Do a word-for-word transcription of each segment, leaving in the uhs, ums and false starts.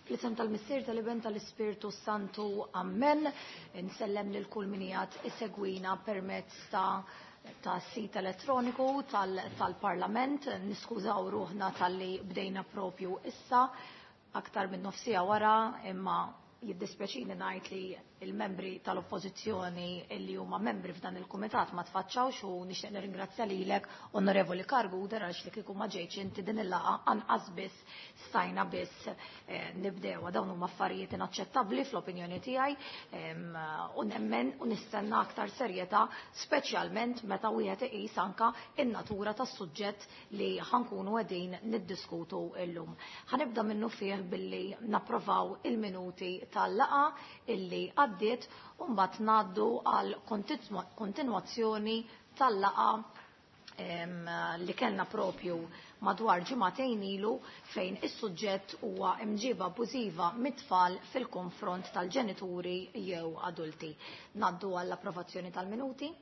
Fl-isem tal-Missier, tal-Iben, tal-Ispirtu Santu, Amen. Insellem lil kull min qiegħed isegwina permezz ta' ta' sit elettroniku tal-Parlament. Niskużaw ruħna talli bdejna propju issa, aktar minn nofs siegħa wara, imma jiddispjaċini ngħid li il-membri tal-Oppożizzjoni illi huma membri f'dan il-kumitat ma tfaċċawx u nixtieq nirringrazzja lilek, Onorevoli Karguder, għaliex li kieku ma ġejtx inti din il-laqgħa anqas biss stajna biss eh, nibdewha. Dawn huma affarijiet inaċċettabbli fl-opinjoni tiegħi u nemmen u nistenna aktar serjetà, speċjalment meta wieħed iqis anka in-natura tas-suġġett li ħankunu qegħdin niddiskutu llum. Ħanibda minnu fih billi napprovaw il-minuti tal-laqgħa illi għaddiet u mbagħad ngħaddu għal kontinwazzjoni tal-laqgħa li kellna propju madwar ġimagħtejn ilu, fejn is-suġġett huwa imġiba abbużiva mit-tfal fil-konfront tal-ġenituri jew adulti. Ngħaddu għall-approvazzjoni tal-minuti.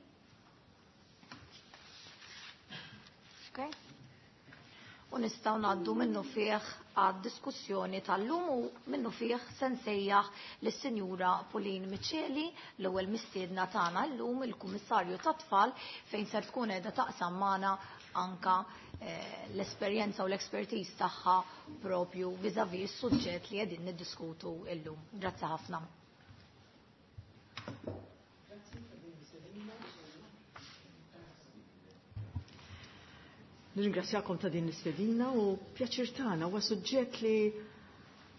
Okay. U nistgħu ngħaddu minnu fih għad-diskussjoni tal-lum u minnu fih se nsejjaħ lis-Sinjura Pauline Miceli, l-ewwel mistiedna tagħna llum, il-Kummissarju tat-Tfal, fejn ser tkun qiegħda taqsam magħna anka eh, l-esperjenza u l-expertise tagħha propju vis-à-vis is-suġġett li qegħdin niddiskutu llum. Grazzi ħafna. Nirringrazzjakom ta' din l-istedina u pjaċir tagħna. Huwa suġġett li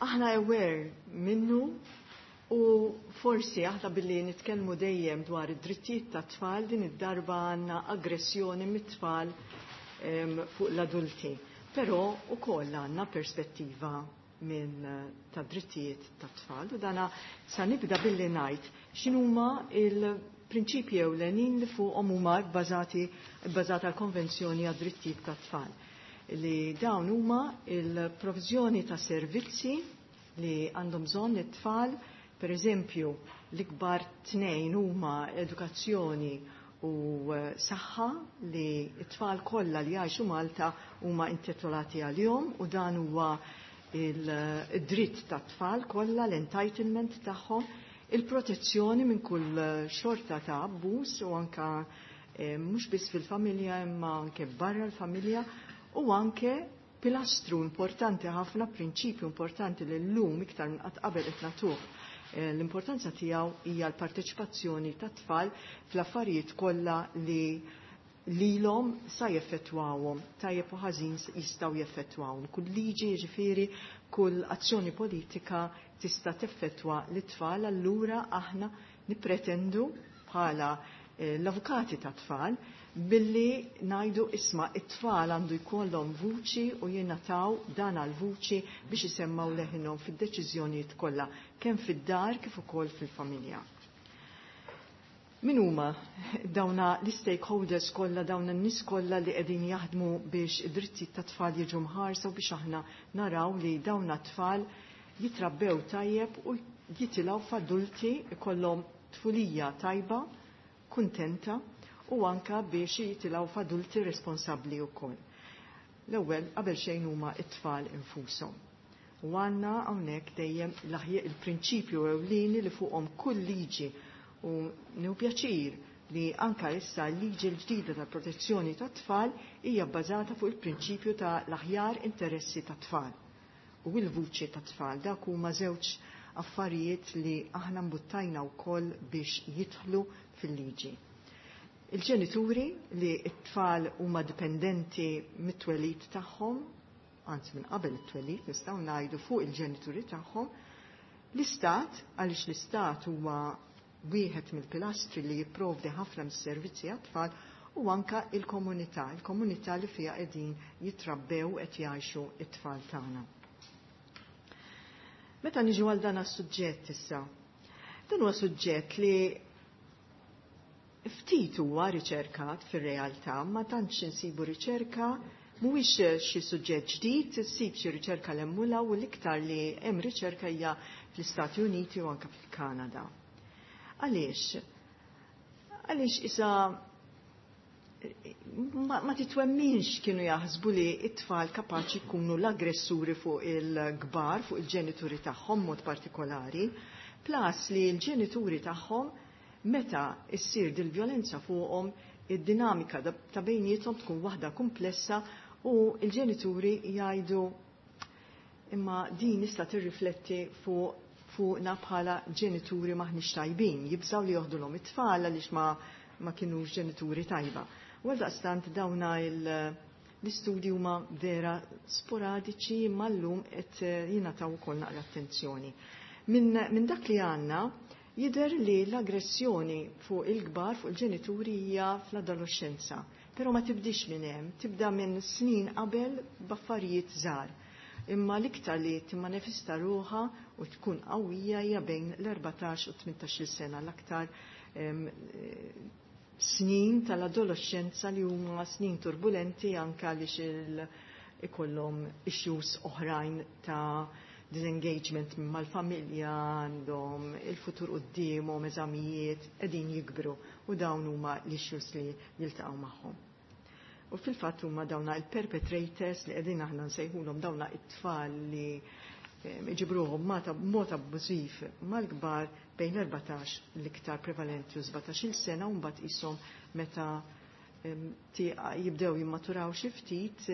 aħna aware minnu u forsi aħna billi nitkellmu dejjem dwar id-drittijiet tat-tfal, din id-darba għandna aggressjoni mit-tfal fuq l-adulti. Però ukoll għandna perspettiva minn ta' drittijiet tat-tfal u dana sa nibda billi ngħid x'inhuma il prinċipji ewlenin li fuqhom huma bbażati bbażata l-Konvenzjoni għad-Drittijiet tat-Tfal. Li dawn huma il-provżjoni ta' servizzi li għandhom bżonn it-tfal, per eżempju, l-ikbar tnejn huma edukazzjoni u saħħa li t-tfal kollha li jgħixu Malta huma intitolati għalihom, u dan huwa il-dritt tat-tfal kollha, l-entitlement tagħhom, il-protezzjoni minn kull xorta ta' abbuż u anka eh, mhux biss fil-familja imma anke barra l-familja, u anke pilastru importanti ħafna, prinċipju importanti li llum iktar minn qatt qabel qed nagħtuh eh, l-importanza tiegħu hija l-parteċipazzjoni tat-tfal fl-affarijiet kollha li lilhom sa jeffettwawhom, tajjeb u ħażin jistgħu jeffettwawhom. Kull liġi, jiġifieri, kull azzjoni politika tista' teffettwa lit-tfal, allura aħna nippretendu bħala eh, l-avukati tat-tfal billi ngħidu isma' it-tfal għandu jkollhom vuċi u jingħataw dan għall-vuċi biex isemmaw leħinhom fid-deċiżjonijiet kollha, kemm fid-dar kif ukoll fil-familja. Min huma dawna l-stakeholders kollha, dawna n-nies kollha li qegħdin jaħdmu biex id-drittijiet tat-tfal jiġu mħarsa u biex aħna naraw li dawna t-tfal jitrabbew tajjeb u jitilgħu f'adulti ikollhom tfulija tajba, kuntenta, u anka biex jitilgħu f'adulti responsabbli wkoll. L-ewwel qabel xejn huma t-tfal infushom. U għandna hawnhekk dejjem l-aħjar il-prinċipju ewlieni li fuqhom kull liġi, u nieħu pjaċir li anka issa l-liġi l-ġdida tal-protezzjoni tat-tfal hija bbażata fuq il-prinċipju ta' l-aħjar interessi tat-tfal u l-vuċi tat-tfal. Dak huma żewġ affarijiet li aħna mbuttajna wkoll biex jidħlu fil-liġi. Il-ġenituri li t-tfal huma dipendenti mit-twelid tagħhom, anzi minn qabel it-twelid nistgħu ngħidu fuq il-ġenituri tagħhom, l-istat, għaliex l-istat huwa wieħed mill-pilastri li jipprovdi ħafna mis-servizzi għat-tfal, u anka il-komunità, il-komunità li fiha qegħdin jitrabbew qed jgħixu t-tfal tagħna. Meta niġu għal dan is-suġġett issa, dan huwa suġġett li ftit huwa riċerkat fir-realtà, ma tantx insibu riċerka, mhuwiex xi suġġett ġdid, issib xi riċerka l-emmula, u l-iktar li hemm riċerka hija fl-Istati Uniti u anke fil-Kanada. Għaliex? Għaliex isa ma, ma titwemminx kienu jaħsbu li it-tfal kapaċi jkunu l-aggressuri fuq il-kbar, fuq il-ġenituri tagħhom mod partikolari, plus li l-ġenituri tagħhom meta issir dil-vjolenza fuqhom, id-dinamika ta' bejniethom tkun waħda komplessa u l-ġenituri jgħidu imma din issa tirrifletti fuq fuqna bħala ġenituri maħniex tajbin, jibżaw li joħdulhom it-tfal għaliex ma, ma kinux ġenituri tajba. U għaldaqstant dawna l-istudji huma vera sporadiċi imma llum qed jingħataw ukoll naqra attenzjoni. Min, min dak li għandna jidher li l-aggressjoni fuq il-kbar, fuq il-ġenituri hija fl-adolescenza. Però ma tibdix minn hemm, tibda minn snin qabel b'affarijiet żgħar. Imma l-iktar li timmanifesta ruħha u tkun qawwija hija bejn l-erbatax u tmintax-il sena, l-aktar snin tal-adolescenza li huma snin turbulenti anke għaliex ikollhom issues oħrajn ta' disengagement mal-familja, għandhom il-futur quddiemhom, eżamijiet, qegħdin jikbru u dawn huma l-issues li jiltaqgħu magħhom. U fil-fatt huma dawna il-perpetrators li qegħdin aħna nsejħulhom dawna it-tfal li iġibruhom mod abbużiv mal-kbar bejn l-erbatax l-iktar prevalenti u sbatax-il sena, u mbagħad qishom meta jibdew jimmaturaw xi ftit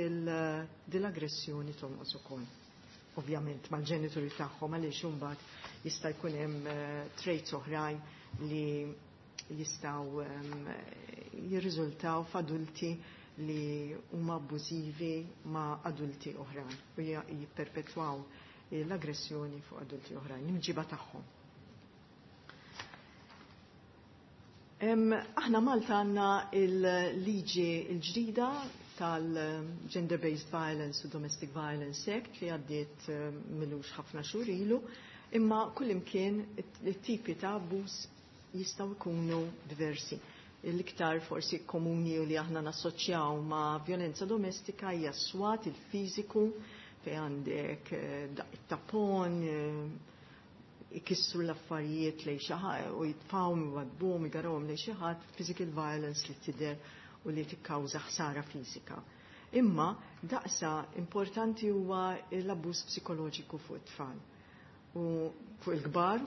dil-aggressjoni tonqos ukoll. Ovvjament mal-ġenituri tagħhom, għaliex imbagħad jista' jkun hemm traits oħrajn li jistgħu jirriżultaw f'adulti li huma abbużivi ma' adulti oħrajn u jipperpetwaw l-aggressjoni fuq adulti oħrajn, l-imġiba tagħhom. Aħna Malta għandna il-liġi l-ġdida tal-Gender-Based Violence u Domestic Violence Act li għaddiet milux ħafna xhur ilu, imma kullimkien it-tipi ta' abbuż jistgħu jkunu diversi. L-iktar forsi komuni u li aħna nassoċjaw ma' violenza domestika hija s-swat, il-fiżiku, fej għandek it-tapon, ikissru l-affarijiet lejn xi ħadd u jitfgħu jwadbuhom, jgarawhom lejn xi ħadd, physical violence li tidher u li tikkawża ħsara fiżika. Imma daqsa importanti huwa l-abbuż psikoloġiku fuq it-tfal. U fuq il-kbar,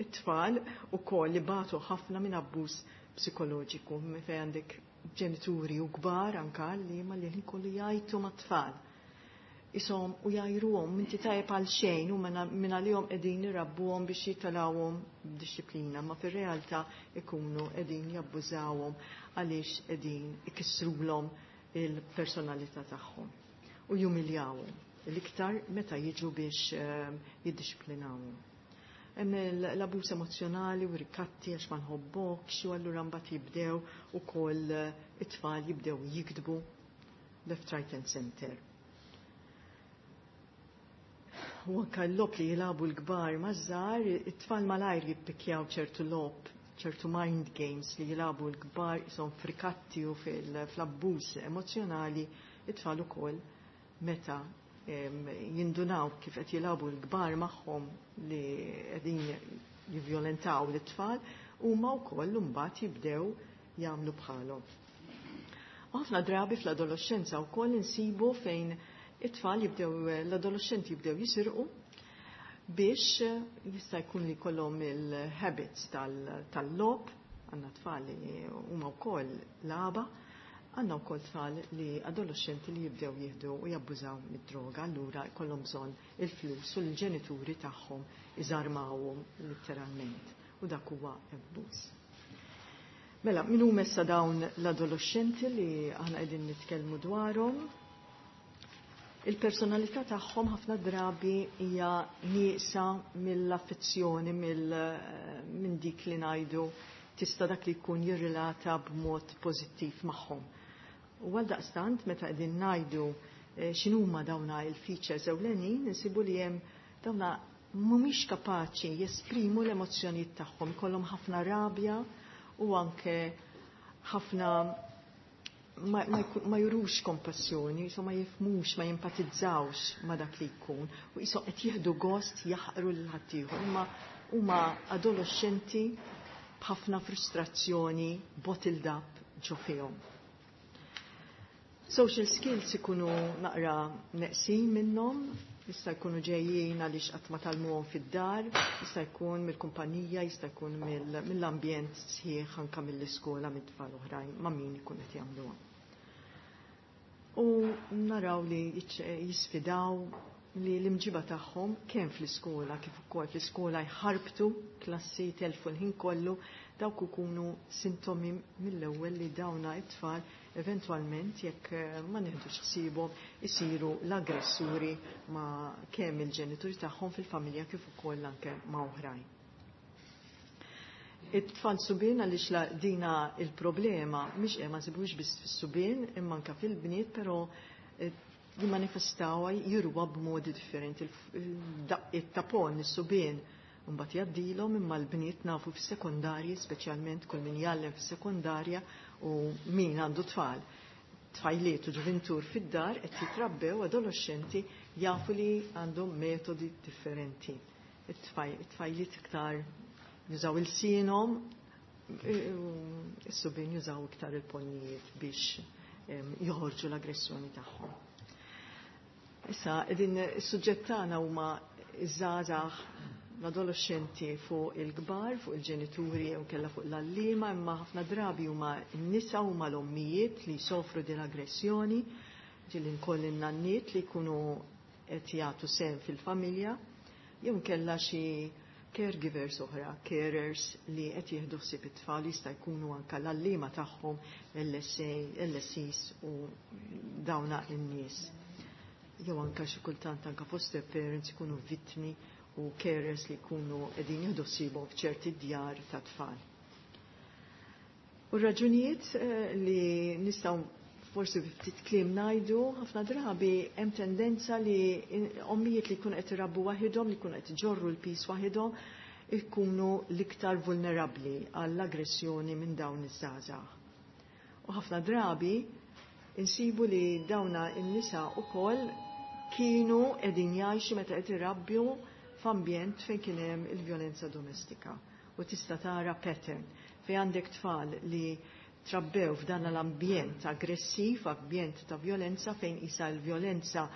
it-tfal ukoll li batu ħafna minn abbuż psikoloġiku, fejn għandek ġenituri u kbar anka li ma li kollu jgħajtu mat-tfal. Isom u jajruhom inti tajjeb għal xejn u minn għalihom qegħdin irabbuhom biex jitalawhom b'dixxiplina, ma fir-realtà ikunu qegħdin jabbużawhom għaliex qegħdin ikissrulhom il-personalità tagħhom u jumiljawhom l-iktar meta jiġu biex jiddixxiplinawhom. Hemm l-abbuż emozjonali u rikatti għax ma nħobbokx, u allura mbagħad jibdew ukoll it-tfal jibdew jikdbu left, right and center. U anka l-logħob li jilagħbu l-kbar maż-żgħar, it-tfal malajr jippikjaw ċertu logħob, ċertu mind games li jilagħbu l-kbar jisom frikatti u fl-abbuż emozjonali, it-tfal ukoll meta jindunaw kif qed jilagħbu l-kbar magħhom li qegħdin jivjolentaw l-tfal, huma wkoll imbagħad jibdew jagħmlu bħalhom. U ħafna drabi fl-adolescenza wkoll insibu fejn it-tfal jibdew, l-adolescenti jibdew jisirqu biex jista' jkun li jkollhom il-habits tal-logħob, għandna tfal li huma wkoll lagħba, għandna wkoll tfal li adolescenti li jibdew jieħdu u jabbużaw mid-droga, allura jkollhom bżonn il-flus u l-ġenituri tagħhom iżarmawhom letteralment, u dak huwa abbuż. Mela, min huma issa dawn l-adolescenti li aħna qegħdin nitkellmu dwarhom? Il-personalità tagħhom ħafna drabi hija nieqsa mill-affezzjoni, minn dik li ngħidu tista' dak li jkun jirrelata b'mod pożittiv magħhom. U għaldaqstant meta qegħdin ngħidu x'inhuma dawna il-features ewlenin, insibu li hemm dawna mhumiex kapaċi jesprimu l-emozzjonijiet tagħhom, ikollhom ħafna rabja u anke ħafna ma, ma, ma jurux kompassjoni, so ma jifmux, ma jimpatizzawx ma dak li jkun, u jisom qed jieħdu gost jaħqru lil ħaddieħor, imma huma adolescenti b'ħafna frustrazzjoni bottled up ġo fihom. Social skills ikunu naqra neqsin minnhom, jista' jkunu ġejjin għaliex qatt ma tgħallmuhom fid-dar, jista' jkun mill-kumpanija, jista' jkun mill-ambjent sħiħ anke mill-iskola mit-tfal oħrajn ma' min ikun qed jagħmluha. U naraw li jisfidaw li l-imġiba tagħhom kemm fl-iskola kif ukoll fl-iskola jħarbtu klassi telfu l-ħin kollu, dawk ikunu sintomi mill-ewwel li dawna it-tfal eventwalment jekk ma nieħdux ħsiebhom isiru l-aggressuri ma' kemm il-ġenituri tagħhom fil-familja kif ukoll anke ma' oħrajn. It-tfal subien għaliex dina il-problema mhix ma nsibux biss fis-subien imma anke fil-bniet, però jimmanifestaw jirwa b'modi differenti. Daqqiet ta' pon is-subien mbagħad jgħaddilhom, imma l-bniet nafu fis-sekondarji, speċjalment kull min jgħallem fis-sekondarja u min għandu tfal, tfajliet u ġuventur fid-dar qed jitrabbew adolescenti jafu li għandhom metodi differenti. It-tfajliet iktar jużaw il-sinhom, is-subien jużaw iktar il-ponnijiet biex joħorġu l-aggressjoni tagħhom. Issa, din is-suġġett tagħna huma iż-żgħażagħ, l-adolescenti fuq il-kbar, fuq il-ġenituri u kella fuq l-allima, imma ħafna drabi huma n-nisa huma l-ommijiet li jsofru din l-aggressjoni, ġieli nkoll in-nanniet li jkunu qed jagħtu sehem fil-familja, jew kella xi caregivers oħra, carers li qed jieħdu ħsieb it-tfal, jista' jkunu anke l-allima tagħhom, L S A, L S Is u dawna n-nies. Jew anke xi kultant anke foster parents ikunu vittmi u carers li jkunu qegħdin jieħdu ħsiebhom f'ċerti djar ta' tfal. U raġunijiet li nistgħu forsi ftit kliem ngħidu, ħafna drabi hemm tendenza li ommijiet li jkunu qed irabbu waħedhom, li jkunu qed iġorru l-pis waħedhom, ikunu l-iktar vulnerabbli għall-aggressjoni minn dawn iż-żgħażagħ. U ħafna drabi insibu li dawna n-nisa wkoll kienu qegħdin jgħixu meta qed irabbu f'ambjent fejn kien hemm il-vjolenza domestika. U tista' tara pattern fejn għandek tfal li trabbew f'dan l-ambjent aggressiv, ambjent ta' vjolenza, fejn isa l-vjolenza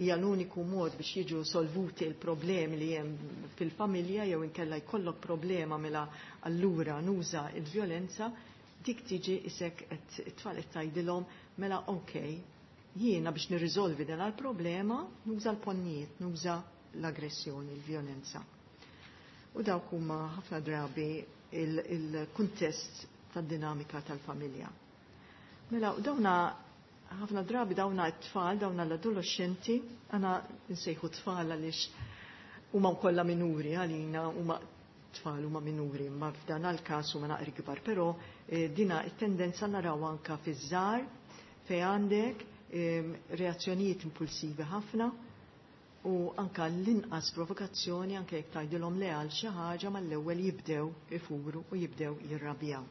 hija l-uniku mod biex jiġu solvuti l-problemi li hemm fil-familja, jew inkella jkollok problema mela allura nuża l-vjolenza, dik tiġi isek qed it-tfal qed tgħidilhom mela okej, jiena biex nirriżolvi dan il-problema nuża l-ponnijiet, nuża l-aggressjoni, l-vjolenza. U dawk huma ħafna drabi il-kuntest tad-dinamika tal-familja. Mela, u dawna ħafna drabi dawna t-tfal, dawna l-adolescenti, għana nsejħu tfal għaliex huma kollha minuri għalina, huma tfal huma minuri, ma f'dan għal-każ huma naqri kbar, però dina t-tendenza naraw anka fiż-żgħar fejn għandek reazzjonijiet impulsivi ħafna u anka l-inqas provokazzjoni, anke jekk tgħidilhom le għal xi ħaġa mal-ewwel jibdew ifuru u jibdew jirrabjaw.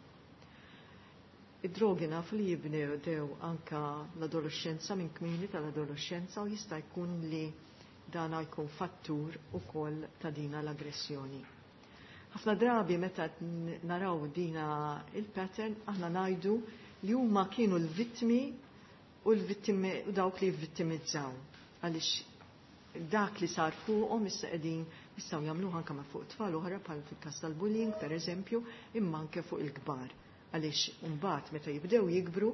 Id-drogi nafu li jibdew anka l-adolescenza, minn kmieni tal-adolescenza, u jista' jkun li dana jkun fattur ukoll ta' dina l-aggressjoni. Ħafna drabi meta naraw dina il-pattern, aħna ngħidu li huma kienu l-vittmi u l-vittimi u dawk li vittimizzaw. Għaliex dak li sar fuqhom issa qegħdin jistgħu jagħmluh anke ma' fuq tfal oħra bħal fil-każ tal-bullying pereżempju, imma anke fuq il-kbar. Għaliex imbagħad meta jibdew jikbru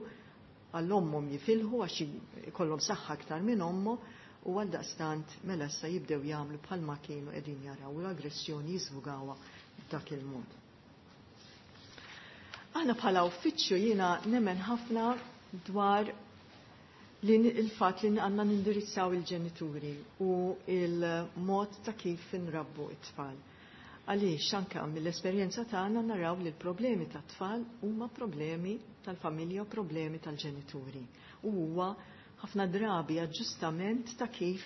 għall-ommhom jifilħu għax ikollhom saħħa aktar minn ommhom, u għaldaqstant mela issa jibdew jagħmlu bħalma kienu qegħdin jaraw u l-aggressjoni jiżvugawha b'dak il-mod. Aħna bħala uffiċċju jiena nemmen ħafna dwar li il-fatt li għandna nindirizzaw il-ġenituri u il-mod ta' kif inrabbu it-tfal. Għaliex anke mill-esperjenza tagħna naraw li l-problemi tat-tfal huma problemi tal-familja u problemi tal-ġenituri. U huwa ħafna drabi aġġustament ta' kif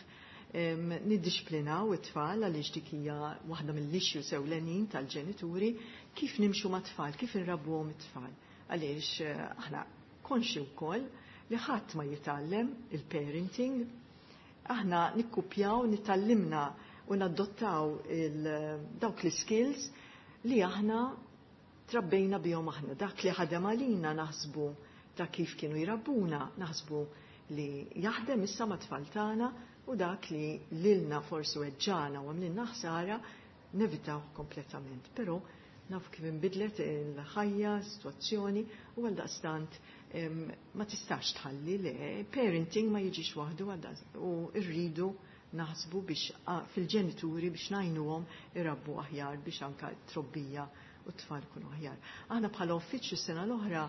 niddixxiplinaw it-tfal, għaliex dik hija waħda mill-issues ewlenin tal-ġenituri, kif nimxu mat-tfal, kif inrabbuhom it-tfal. Għaliex aħna konxi wkoll li ħadd ma jitgħallem il-parenting, aħna nikkupjaw, nitgħallimna u nadottaw dawk l-skills li aħna trabbejna bihom aħna, dak li ħadem għalina naħsbu ta' kif kienu jrabbuna, naħsbu li jaħdem issa ma' tfal tagħna u dak li lilna forsi weġġana u għamlilna ħsara nevitaw kompletament. Però naf kif inbidlet il-ħajja, situazzjoni u għaldaqstant ma tistax tħalli le parenting ma jiġix waħdu u rridu naħsbu biex fil-ġenituri biex ngħinuhom irabbu aħjar biex anka trobbija u t-tfal kunu aħjar. Aħna bħala uffiċċju s-sena l-oħra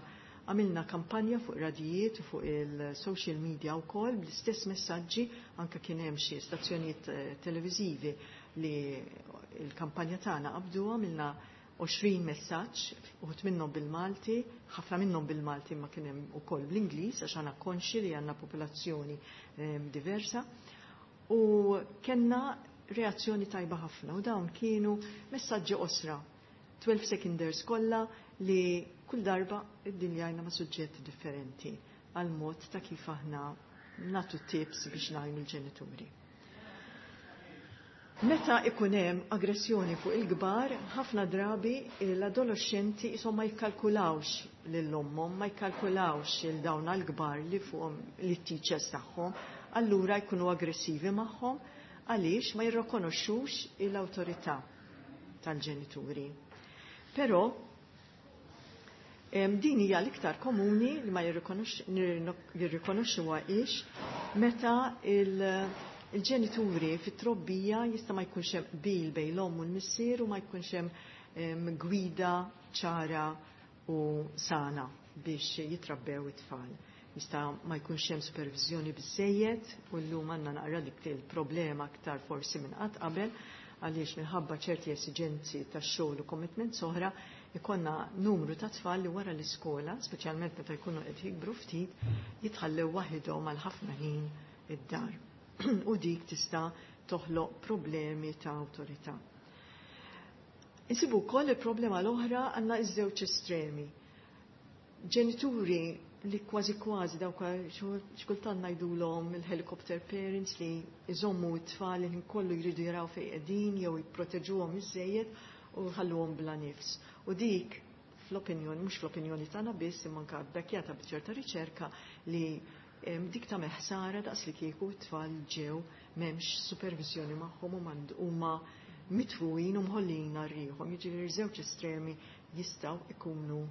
għamilna kampanja fuq radijiet u fuq il-social media u kol bl-istess messaġġi, anka kien hemm xi stazzjonijiet televiżivi li l-kampanja tagħna qabdu. Għamilna għoxrin messaġġ, uħud minnhom bil-Malti, ħafna minnhom bil-Malti ma kien hemm ukoll bl-Ingliż għax aħna konxi li għandna popolazzjoni diversa. U kellna reazzjoni tajba ħafna u dawn kienu messaġġi qosra, twelve seconders kollha li kull darba iddiljajna ma' suġġetti differenti għal mod ta' kif aħna natu tips biex ngħinu l-ġenituri. Meta ikun hemm aggressjoni fuq il-kbar, ħafna drabi l-adolescenti isom ma jikkalkulawx lil ommhom, ma jikkalkulawx il dawn għall-kbar li fuqhom li t-teachers tagħhom, allura jkunu aggressivi magħhom għaliex ma jirrikonoxxux l-awtorità tal-ġenituri. Però din hija l-iktar komuni li ma jirrikonoxxuha ix meta il-ġenituri fit-trobbija jista' ma jkunx hemm qbil bejn l-omm u l-missier u ma jkunx hemm gwida ċara u sana biex jitrabbew it-tfal. Jista' ma jkunx hemm supervizjoni biżejjed u llum għandna naqra dik il-problema aktar forsi minn qatt qabel għaliex minħabba ċerti esiġenzi tax-xogħol u commitments oħra ikonna numru ta' tfal li wara l-iskola, speċjalment meta jkunu qed jikbru ftit, jitħallew waħedhom għal ħafna ħin id-dar. U dik tista' toħloq problemi ta' awtorità. Insibu wkoll il-problema l-oħra għandna iż-żewġ estremi. Ġenituri li kważi kważi dawk xkultant ngħidulhom il-helicopter parents li jżommu t-tfal li kollu jridu jaraw fejn qegħdin jew jipproteġuhom iżejjed u jħalluhom bla nifs. U dik fl-opinjoni, mhux fl-opinjoni tagħna biss imma anke bbekkjata b'ċerta riċerka li dik ta' meħsara daqs li kieku t-tfal ġew m'hemmx supervizjoni magħhom u huma mitfuin u mħollin rieħhom. Jiġifieri żewġ estremi jistgħu ikunu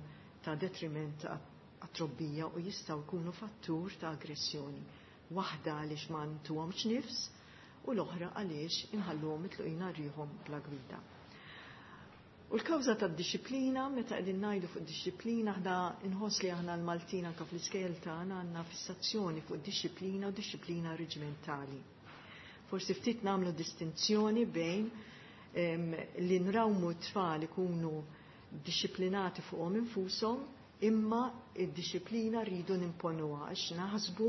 ta' detriment għat-trobbija u jistgħu jkunu fattur ta' aggressjoni. Waħda għaliex ma ntuhomx nifs u l-oħra għaliex inħalluhom mitluqin rieħhom bla gwida. U l-kawża tad-dixxiplina, meta qegħdin ngħidu fuq dixxiplina, aħna nħoss li aħna l-Maltin anke fl-iskejjel tagħna għandna fissazzjoni fuq dixxiplina u dixxiplina reġimentali. Forsi ftit nagħmlu distinzjoni bejn li nrawmu t-tfal ikunu dixxiplinati fuqhom infushom, imma id-dixxiplina rridu nimponuha għax naħsbu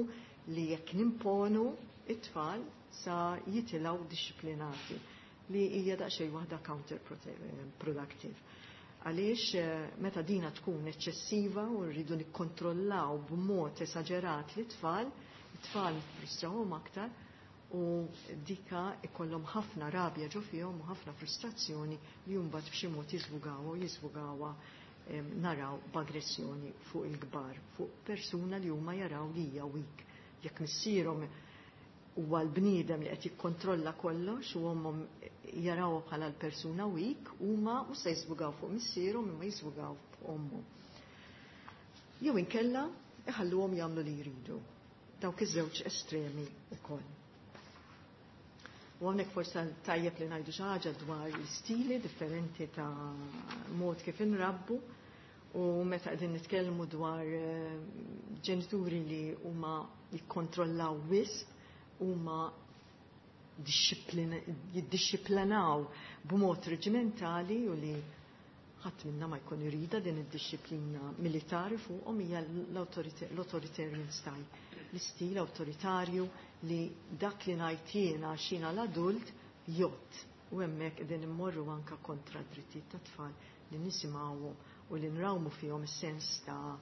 li jekk nimponu it-tfal sa jitilgħu dixxiplinati, li hija daqsxejn waħda counterproductive. Għaliex meta dina tkun eċċessiva u rridu nikkontrollaw b'mod esaġerat li tfal, it-tfal frustrawhom aktar u dika ikollhom ħafna rabja ġo fihom u ħafna frustrazzjoni li mbagħad b'xi mod jiżvugawha u jiżvugawha naraw b'aggressjoni fuq il-kbar, fuq persuna li huma jaraw li hija weak. Jekk missierhom huwa l-bniedem li qed jikkontrolla kollox u ommhom jaraw bħala l-persuna weak, huma mhux se jiżvugaw fuq missierhom imma jiżvugaw fuq ommhom. Jew inkella iħalluhom jagħmlu li jridu. Dawk iż-żewġ estremi wkoll. U hawnhekk forsi tajjeb li ngħidu xi ħaġa dwar l-istili differenti ta' mod kif inrabbu u meta qegħdin nitkellmu dwar ġenituri li huma jikkontrollaw wisq, huma jiddixxiplinaw b'mod reġimentali u li ħadd minna ma jkun irida din id-dixxiplina militari fuqhom hija l-authoritarian style, l-istil awtoritarju li dak li ngħid jiena għax jiena l-adult jgħodd. U hemmhekk qegħdin immorru anke kontra d-drittijiet tat-tfal li nisimgħuhom u li nrawmu fihom is-sens ta'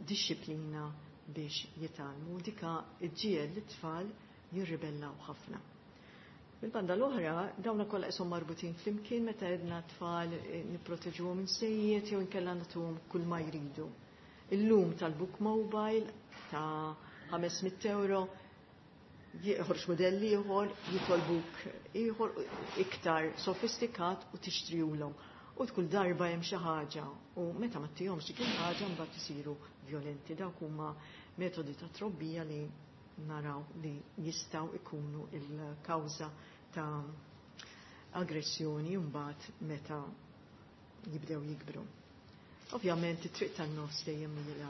dixxiplina biex jitgħallmu. Dika ġġiegħel lit-tfal jirribellaw ħafna. Bil-banda l-oħra, dawna kollha qishom marbutin flimkien meta għedna tfal nipproteġuhom minn sejjiet jew inkella nagħtuhom kull ma jridu. Illum tal-book mobile ta' ħames mitt euro, joħroġ modell ieħor, jitolbuk ieħor iktar sofistikat u tixtriulhom. U kull darba hemm xi ħaġa u meta ma ttihomx dik il-ħaġa mbagħad isiru violenti. Dawk huma metodi ta' trobbija li naraw li jistgħu ikunu il-kawża ta' aggressjoni mbagħad meta jibdew jikbru. Ovvjament it-triq tan-nofs dejjem hija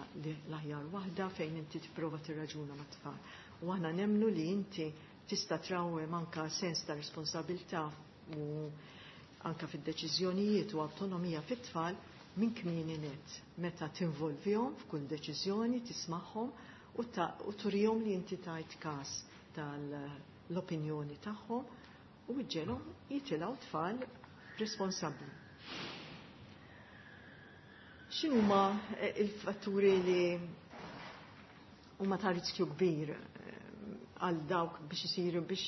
l-aħjar waħda fejn inti tipprova tirraġuna mat-tfal. U aħna nemmnu li inti tista' trawwem anka sens ta' responsabilità u anka fid-deċiżjonijiet u awtonomija fit-tfal minn kmieni net. Meta tinvolvihom f'kull deċiżjoni, tismagħhom u, u turihom li inti tajt każ tal-opinjoni tagħhom u ġġegħelhom jitilgħu tfal responsabbli. X'inhuma il-fatturi li huma ta' riskju kbir għal dawk biex isiru biex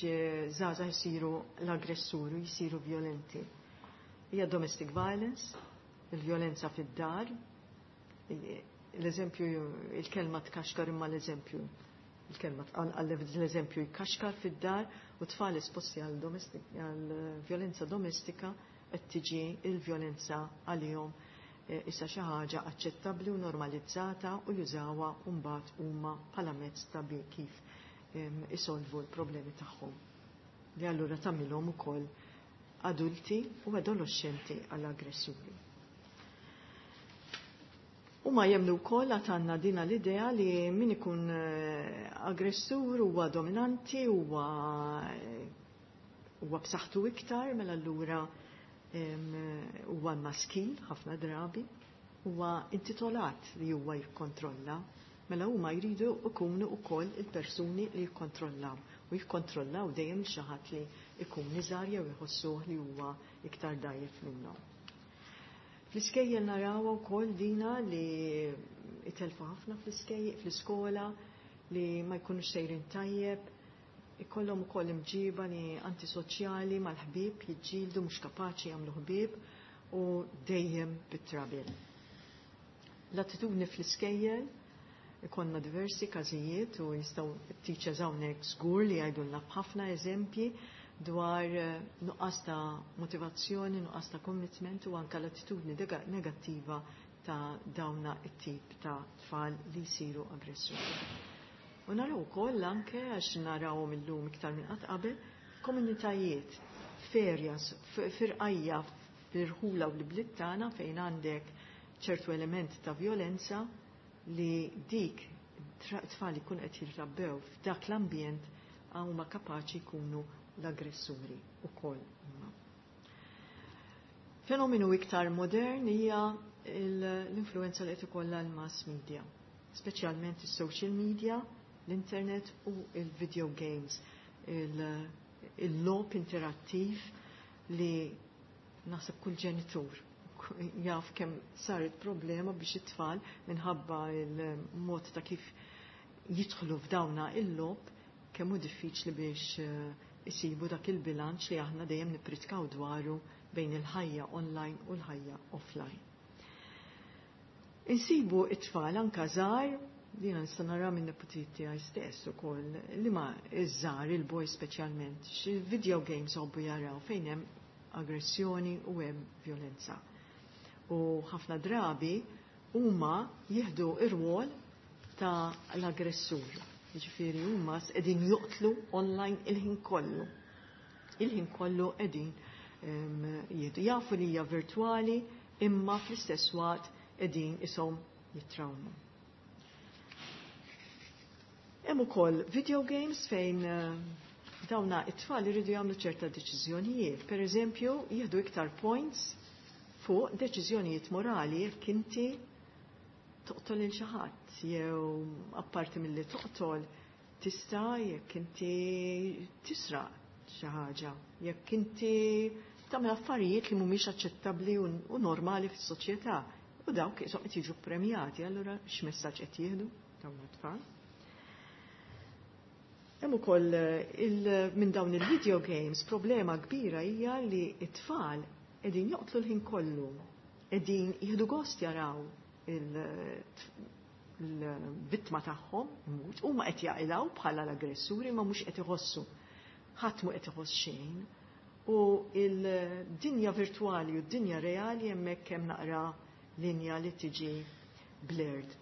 żgħażagħ isiru l-aggressuri, jisiru violenti? Hija domestic violence, il-violenza fid-dar, l-eżempju, il-kelma tkaxkar imma l-eżempju, il-kelma l-eżempju jkaxkar fid-dar u tfal esposti għal violenza domestika qed tiġi il-violenza għalihom issa xi ħaġa aċċettabbli u normalizzata u jużawha mbagħad huma bħala mezz ta' kif isolvu l-problemi tagħhom. Li allura tagħmilhom ukoll adulti u adolescenti għall-aggressuri. U ma jemnu wkoll għad għandna dina l-idea li min ikun aggressur huwa dominanti, huwa huwa b'saħħtu iktar, mela allura huwa maskil ħafna drabi, huwa intitolat li huwa jikkontrolla, mela huma jridu jkunu wkoll il-persuni li jikkontrollaw u jikkontrollaw dejjem xi ħadd li jkun iżgħar jew jħossuh li huwa iktar dgħajjef minnhom. Fl-iskejjel naraw ukoll dina li itelfu ħafna fl-iskejjel, fl-iskola, li ma jkunux sejrin tajjeb, ikollhom ukoll imġiba li antisoċjali mal-ħbieb, jiġġieldu mhux kapaċi jagħmlu ħbieb u dejjem bit-trabil. L-attitudni fl-iskejjel ikollna diversi każijiet u jistgħu t-teachers hawnhekk żgur li jgħidulna b'ħafna eżempji dwar nuqqas ta' motivazzjoni, nuqqas ta' commitment u anke l-attitudni negattiva ta' dawna it-tip ta' tfal li jsiru aggressuri. U naraw ukoll anke għax narawhom illum iktar minn qatt qabel komunitajiet, ferjas, firqajja, firħula u l-bliet tagħna fejn għandek ċertu element ta' violenza li dik tfal ikun qed jirrabbew f'dak l-ambjent huma kapaċi jkunu l-aggressuri ukoll. Fenomenu iktar modern hija l-influenza li qed ikollha l-mass media, speċjalment is-social media, l-internet u il-video games, il-logħob interattiv li naħseb kull ġenitur jaf kemm saret problema biex it-tfal minħabba il-mod ta' kif jidħlu f'dawna il-logħob kemm hu diffiċli biex isibu dak il-bilanċ li aħna dejjem nippritkaw dwaru bejn il-ħajja online u l-ħajja offline. Insibu it-tfal anka żgħar, dina nista' nara minn neputijiet tiegħi stess ukoll, li ma iż-żgħar, il-boy speċjalment, xi video games hobbu jaraw fejn hemm aggressjoni u hemm violenza. U ħafna drabi huma jieħdu ir-rwol ta' l-aggressur. Jiġifieri huma qegħdin joqtlu online il-ħin kollu. Il-ħin kollu qegħdin jieħdu jafu li hija virtwali imma fl-istess waqt qegħdin ishom jittrawmu. Hemm ukoll video games fejn dawna it-tfal iridu jagħmlu ċerta deċiżjonijiet. Per eżempju, jieħdu iktar points fuq deċiżjonijiet morali jekk inti toqtol lil xi ħadd jew apparti milli toqtol tista' jekk inti tisraq xi ħaġa, jekk inti tagħmel affarijiet li mhumiex aċċettabbli u normali fis-soċjetà. U dawk qishom qed jiġu premjati, allura x'messaġġ qed jieħdu dawn it-tfal. Hemm ukoll minn dawn il-video games problema kbira hija li t-tfal qegħdin joqtlu l-ħin kollu, qegħdin jieħdu gost jaraw l-vittma tagħhom imut, huma qed jaqilgħu bħala l-aggressuri ma mhux qed iħossu. Ħadd mhu qed iħoss xejn. U il-dinja virtuali u d-dinja reali hemmhekk hemm naqra linja li tiġi blurred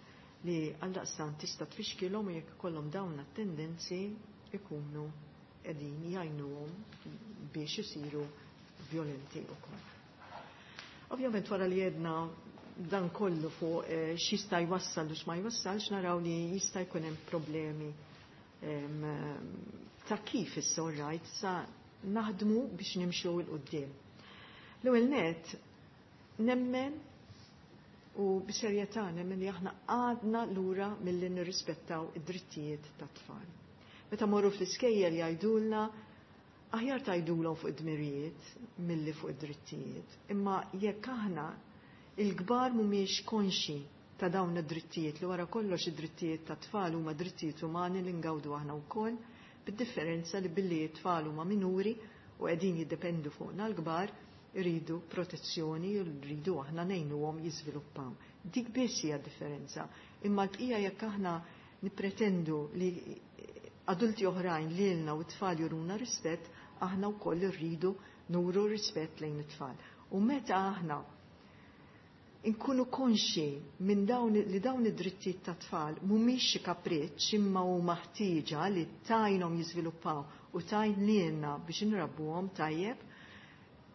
li għaldaqstant tista' tfixkilhom u jekk ikollhom dawn it-tendenzi ikunu qegħdin jgħinuhom biex isiru violenti wkoll. Ovvjament wara li jedna dan kollu fuq eh, x'jista' jwassal u x'ma jwassalx naraw li jista' jkun hemm problemi em, ta' kif issa right sa naħdmu biex nimxu 'l quddiem. L-ewwel net nemmen u b'serjetà nemmen li aħna għadna lura milli nirrispettaw id-drittijiet tat-tfal. Meta morru fl-iskejjel jgħidulna aħjar tgħidulhom fuq id-dmirijiet milli fuq id-drittijiet. Imma jekk aħna il-kbar mhumiex konxi ta' dawn id-drittijiet li wara kollox id-drittijiet tat-tfal huma drittijiet umani li ngawdu aħna wkoll, bid-differenza li billi t-tfal huma minuri u qegħdin jiddependu fuqna l-kbar iridu protezzjoni u rridu aħna ngħinuhom jiżviluppaw. Dik biss hija differenza. Imma l-bqija jekk aħna nippretendu li adulti oħrajn lilna u t-tfal juruna rispett, aħna wkoll irridu nuru rispett lejn it-tfal. U meta aħna inkunu konxi minn dawn li dawn id-drittijiet ta' tfal mhumiex xi kapriċċ imma huma ħtieġa li tajnhom jiżviluppaw u tajn lilna biex inrabbuhom tajjeb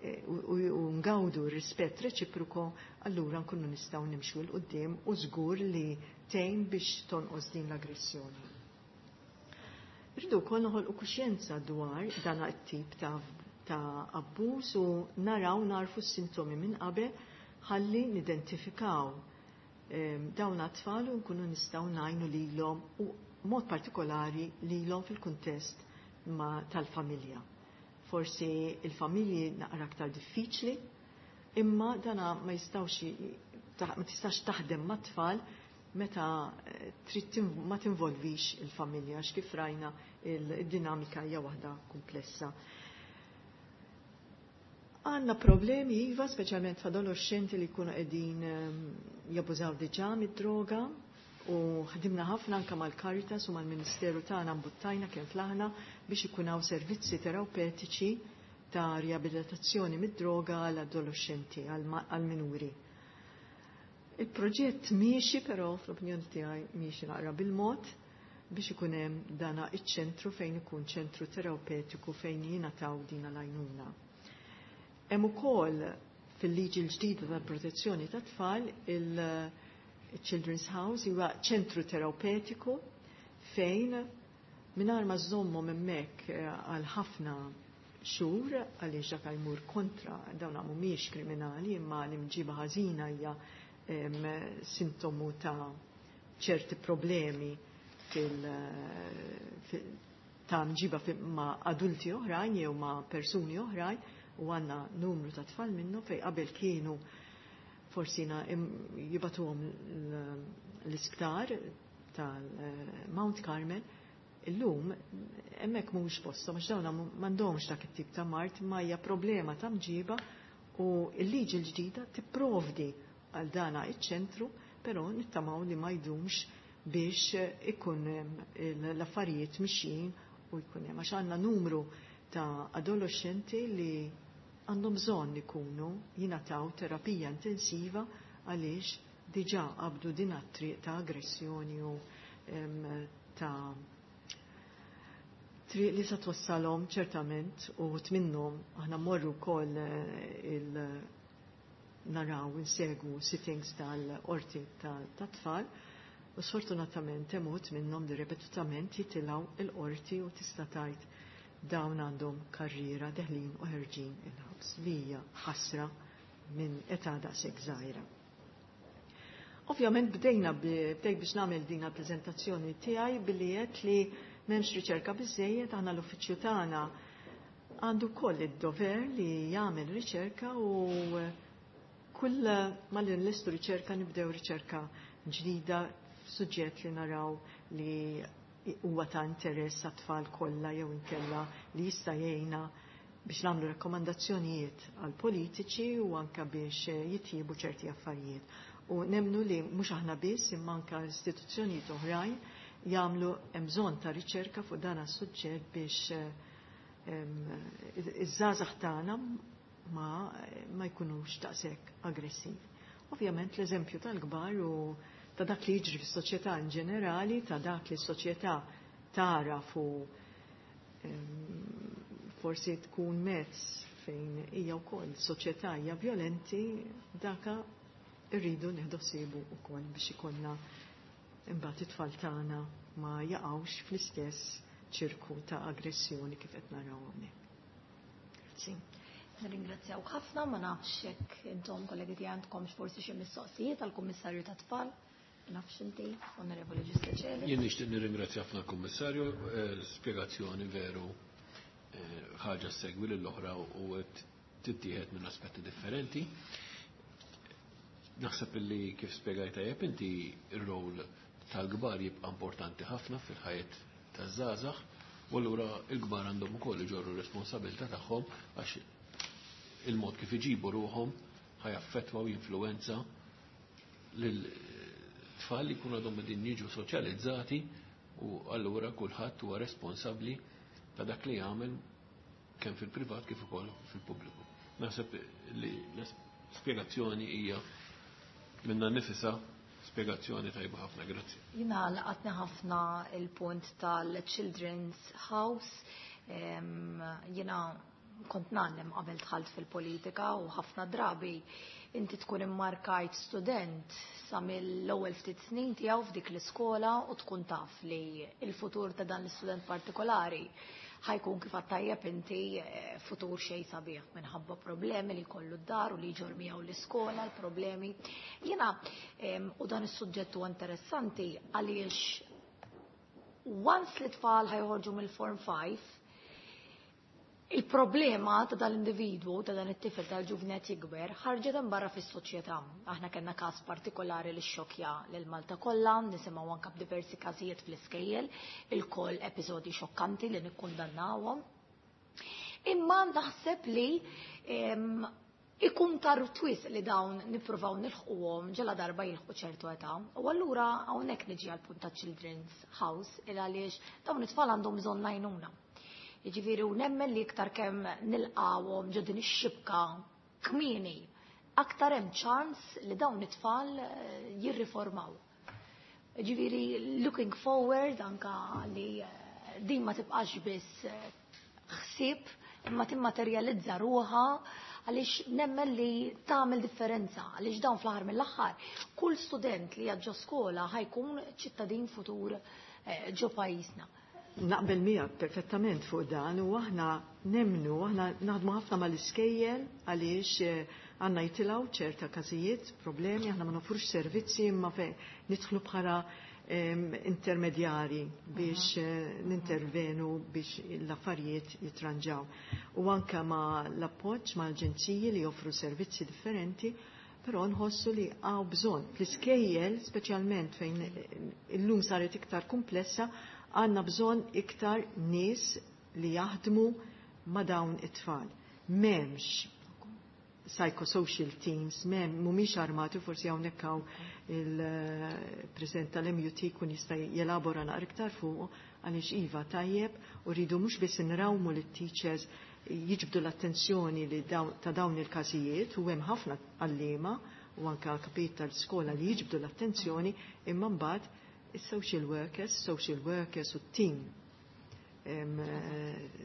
eh, u, u ngawdu rispett reċiproku, allura nkunu nistgħu nimxu 'l quddiem u żgur li tgħin biex tonqos din l-aggressjoni. Rridu wkoll noħolqu kuxjenza dwar dan it-tip ta' ta' abbuż u naraw narfu s-sintomi minn qabel ħalli nidentifikaw ehm, dawn għat-tfal u nkunu nistgħu ngħinu lilhom u mod partikolari lilhom fil-kuntest tal-familja. Forsi il-familji naqra aktar diffiċli, imma dana ma jistgħux ma tistax taħdem mat-tfal meta eh, trid ma tinvolvix il-familja għax kif rajna il-dinamika hija waħda komplessa. Għanna problemi, iva, speċjalment f'adolescenti li jkunu qegħdin ehm, jabbużaw diġà mid-droga u ħdimna ħafna anke mal-Caritas u mal-Ministeru tagħna mbuttajna kemm flaħna biex ikun hawn servizzi terapeutiċi ta' riabilitazzjoni mid-droga għall adolescenti għal-minuri. Il-proġett miexi però fl-opinjoni tiegħi miexi naqra bil-mod biex ikun hemm dana iċ-ċentru fejn ikun ċentru terapeutiku fejn jingħataw din l-għajnuna. Hemm ukoll fil-liġi l-ġdida tal-protezzjoni tat-tfal il-Children's House huwa ċentru terapeutiku fejn mingħajr ma żommhom hemmhekk eh, għal ħafna xhur għaliex dak jmur kontra dawn mhumiex kriminali imma l-imġiba ħażina hija sintomu ta' ċerti problemi fil, fil ta' mġiba ma' adulti oħrajn jew ma' persuni oħrajn u għanna numru ta' tfal minnu fej qabel kienu forsi jibatuhom l-isptar tal-Mount Carmel, illum hemmhekk mhux posthom għax dawn m'għandhomx dak it-tip ta' mard ma hija problema ta' mġiba u l-liġi l-ġdida tipprovdi għal dana iċ-ċentru, però nittamaw li ma jdumx biex ikun l-affarijiet mixjin u jkun hemm għax għandna numru ta' adolescenti li għandhom bżonn ikunu jingħataw terapija intensiva għaliex diġà qabdu din triq ta' aggressjoni u ta' triq li sa twassalhom ċertament u minnhom aħna mmorru wkoll eh, il naraw insegwu sittings tal-qorti tat-tfal u sfortunatament hemm minnhom li ripetutament jitilgħu il-qorti u tista' tgħid dawn għandhom karriera deħlin u ħerġin il-ħabs li hija ħasra minn età daqshekk żgħira. Ovvjament bdejna bdejt biex nagħmel din il-preżentazzjoni tiegħi billi qed li m'hemmx riċerka biżejjed aħna l-uffiċċju tagħna għandu wkoll id-dover li jagħmel riċerka u kull ma li nlestu riċerka nibdew riċerka ġdida f'suġġett li naraw li huwa ta' interess għat-tfal kollha jew inkella li jista' jgħinna biex nagħmlu rakkomandazzjonijiet għal politiċi u anke biex jitjiebu ċerti affarijiet. U nemmnu li mhux aħna biss imma anke istituzzjonijiet oħrajn jagħmlu, hemm bżonn ta' riċerka fuq dan is-suġġett biex iż-żgħażagħ tagħna ma, ma jkunux daqshekk aggressivi. Ovvjament l-eżempju tal-kbar u ta' dak li jiġri fis-soċjetà in ġenerali, ta' dak li s-soċjetà tara fu forsi tkun mezz fejn hija wkoll soċjetà hija violenti, daka irridu nieħdu ħsiebu wkoll biex ikollna imbagħad it-tfal tagħna ma jaqgħux fl-istess ċirku ta' aggressjoni kif qed naraw hawnhekk. Grazzi. Nirringrazzjaw ħafna, ma nafx jekk intom, kollegi tiegħi, għandkomx forsi xi mistoqsijiet għall-Kummissarju tat-Tfal. Nafx inti, Onorevoli Giuseppe. Jien nixtieq nirringrazzja ħafna l-Kummissarju, eh, l-spjegazzjoni veru eh, ħaġa segwi lill-oħra u qed tittieħed minn aspetti differenti. Naħseb li kif spjegajt tajjeb inti, ir-rol tal-kbar jibqa' importanti ħafna fil-ħajja taż-żgħażagħ u allura l-kbar għandhom ukoll iġorru responsabilità tagħhom, għax il-mod kif iġibu ruħhom ħa jaffettwa u jinfluwenza lil tfal li jkunu għadhom qegħdin jiġu soċjalizzati, u allura kulħadd huwa responsabbli ta' dak li jagħmel kemm fil-privat kif ukoll fil-pubbliku. Naħseb li l-spjegazzjoni hija minna nifisha spjegazzjoni tajba ħafna, grazzi. Jiena laqatni ħafna il-punt tal-Children's House. Jiena kont ngħallem qabel dħalt fil-politika u ħafna drabi inti tkun immarkajt student sa mill-ewwel ftit snin tiegħu f'dik l-iskola u tkun taf li il-futur ta' dan l-istudent partikolari ħa jkun, kif tajjeb inti, eh, futur xejn sabiħ minħabba problemi li kollu d-dar u li jġorr miegħu l-iskola, l-problemi. Jiena u dan is-suġġett huwa interessanti għaliex once li tfal ħa joħorġu mill-Form five, il-problema ta' dal-individwu, ta' dan it-tifel, tal-ġuvnet jikber, ħarġet barra fis-soċjetà. Aħna kellna każ partikolari li xokja lil Malta kollha, nisimgħu anke b'diversi każijiet fl-iskejjel, il-koll episodji xokkanti li nikkundannawhom. Imma naħseb li ikun tar twis li dawn nippruvaw nilħquhom ġela darba jilħqu ċertu età. U allura hawnhekk niġi għal punt ta' Children's House, il għaliex dawn it-tfal għandhom bżonn għajnuna. Jiġifieri u nemmen li iktar kemm nilqawhom ġo din ix-xibka kmieni, aktar hemm ċans li dawn it-tfal eh, jirriformaw. Jiġifieri looking forward anka li eh, din ma tibqax biss eh, ħsieb imma timmaterjalizza ruħha, għaliex nemmen li tagħmel differenza, għaliex dawn fl-aħħar mill-aħħar kull student li ġo skola ħa jkun ċittadin futur ġo pajjiżna. Naqbel miegħek perfettament fuq dan u aħna nemmnu, aħna naħdmu ħafna mal-iskejjel għaliex eh, għandna jitilgħu ċerta każijiet, problemi, aħna ma nofrux servizzi imma fejn nidħlu bħala intermedjari biex eh, nintervenu biex l-affarijiet jitranġaw. U anka ma l-appoġġ ma l-aġenziji li joffru servizzi differenti, però nħossu li hawn bżonn. Fl-iskejjel, speċjalment fejn illum saret iktar komplessa, għandna bżonn iktar nies li jaħdmu ma' dawn it-tfal. M'hemmx psychosocial teams, m'hemm, mhumiex armati, forsi hawnhekk hawn il-President tal-M U T kun jista' jelabora naqra iktar fuq, għaliex iva, tajjeb u rridu mhux biss nrawmu lit-teachers jiġbdu l-attenzjoni li ta' dawn il-każijiet, u hemm ħafna għalliema u anka kapit tal-skola li jiġbdu l-attenzjoni, imma mbagħad is-social workers, social workers u team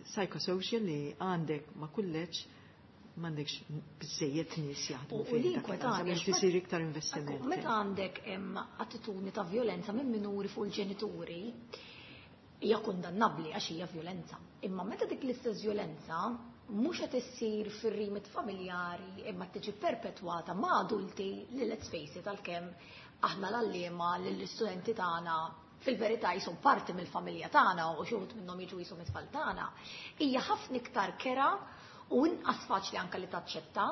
psychosocial li għandek ma' kulleġġ, m'għandekx biżejjed nies jaħdmu U li inkwetani isir iktar investiment. Meta għandek attitudni ta' violenza minn minuri fuq il-ġenituri, hija kundannabbli għax hija violenza. Imma meta dik l-istess violenza mhux qed issir fir-rimit familjari imma tiġi perpetwata ma' adulti li, let's face it, għalkemm aħna l-għalliema lill-istudenti tagħna fil-verità jisom parti mill-familja tagħna u xi wħud minnhom jiġu jisom it-tfal tagħna, hija ħafna iktar kerha u inqas faċli anke li taċċetta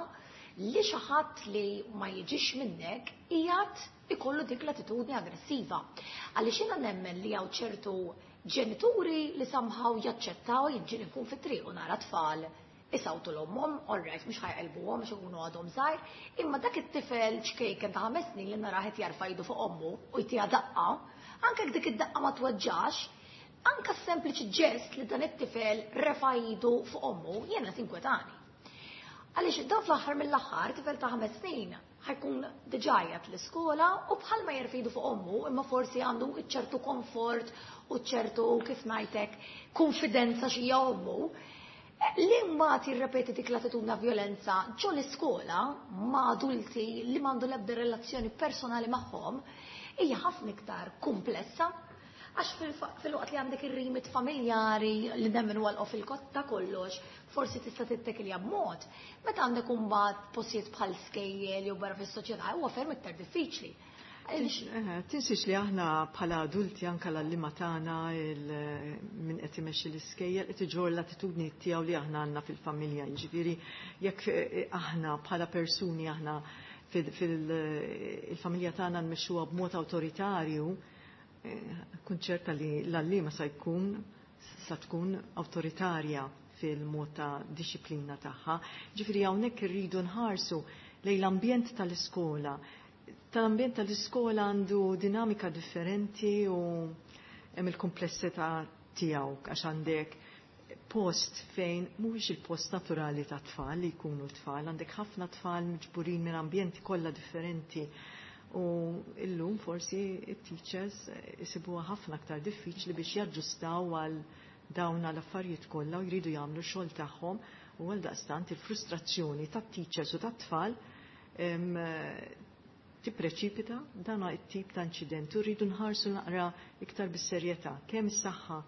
li xi ħadd li ma jiġix minnek qiegħed ikollu dik l-attitudni aggressiva. Għaliex jiena nemmen li hawn ċertu ġenituri li somehow jaċċettaw. Jiġi nkun fit-triq u nara tfal Isawtu l-ommhom, all right, mhux ħa jqelbuhom għax ikunu għadhom żgħar, imma dak it-tifel ċkejken ta' ħames snin li narah qed jarfa' idu fuq ommu u jtiha daqqa, anke dik id-daqqa ma tweġġax, anke s-sempliċi ġest li dan it-tifel refa' idu fuq ommu jiena tinkwetani. Għaliex dan fl-aħħar mill-aħħar tifel ta' ħames snin ħa jkun diġà qiegħed l-iskola u bħalma jerfa' idu fuq ommu, imma forsi għandu ċertu komfort u ċertu, kif ngħidlek, konfidenza x'hija ommu, li mbagħad jirrepeti dik l-attitudna violenza ġo l-iskola ma' adulti li m'għandu l-ebda relazzjoni personali magħhom hija ħafna iktar komplessa. Għax fil-waqt li għandek ir-rimit familjari li nemmen huwa fil-kotta kollox, forsi tista' tittekilja b'mod. Meta għandek imbagħad postijiet bħal skejjel jew barra fis-soċjetà, huwa ferm iktar diffiċli. Tinsiex li aħna bħala adulti, anka l-għalliema tagħna, min qed imexxi l-iskejjel, qed iġorr l-attitudni tiegħu li aħna għandna fil-familja. Jiġifieri jekk aħna bħala persuni aħna fil-familja tagħna nmexxuha b'mod awtoritarju, kun ċerta li l-għalliema sa jkun sa tkun awtoritarja fil-mod ta' disciplina tagħha. Ġifieri hawnhekk irridu nħarsu lejn l-ambjent tal-iskola. Tal-ambjent tal-iskola għandu dinamika differenti u hemm il-komplessità tiegħu, għax għandek post fejn mhuwiex il-post naturali ta' tfal li jkunu tfal, għandek ħafna tfal miġburin minn ambjenti kollha differenti. U illum forsi it-teachers isibuha ħafna aktar diffiċli biex jaġġustaw għal dawn l-affarijiet kollha u jridu jagħmlu xogħol tagħhom, u għal daqstant il-frustrazzjoni tat-teachers u tat-tfal tippreċipita dan it-tip ta' inċident. U rridu nħarsu naqra iktar bis-serjetà kemm is-saħħa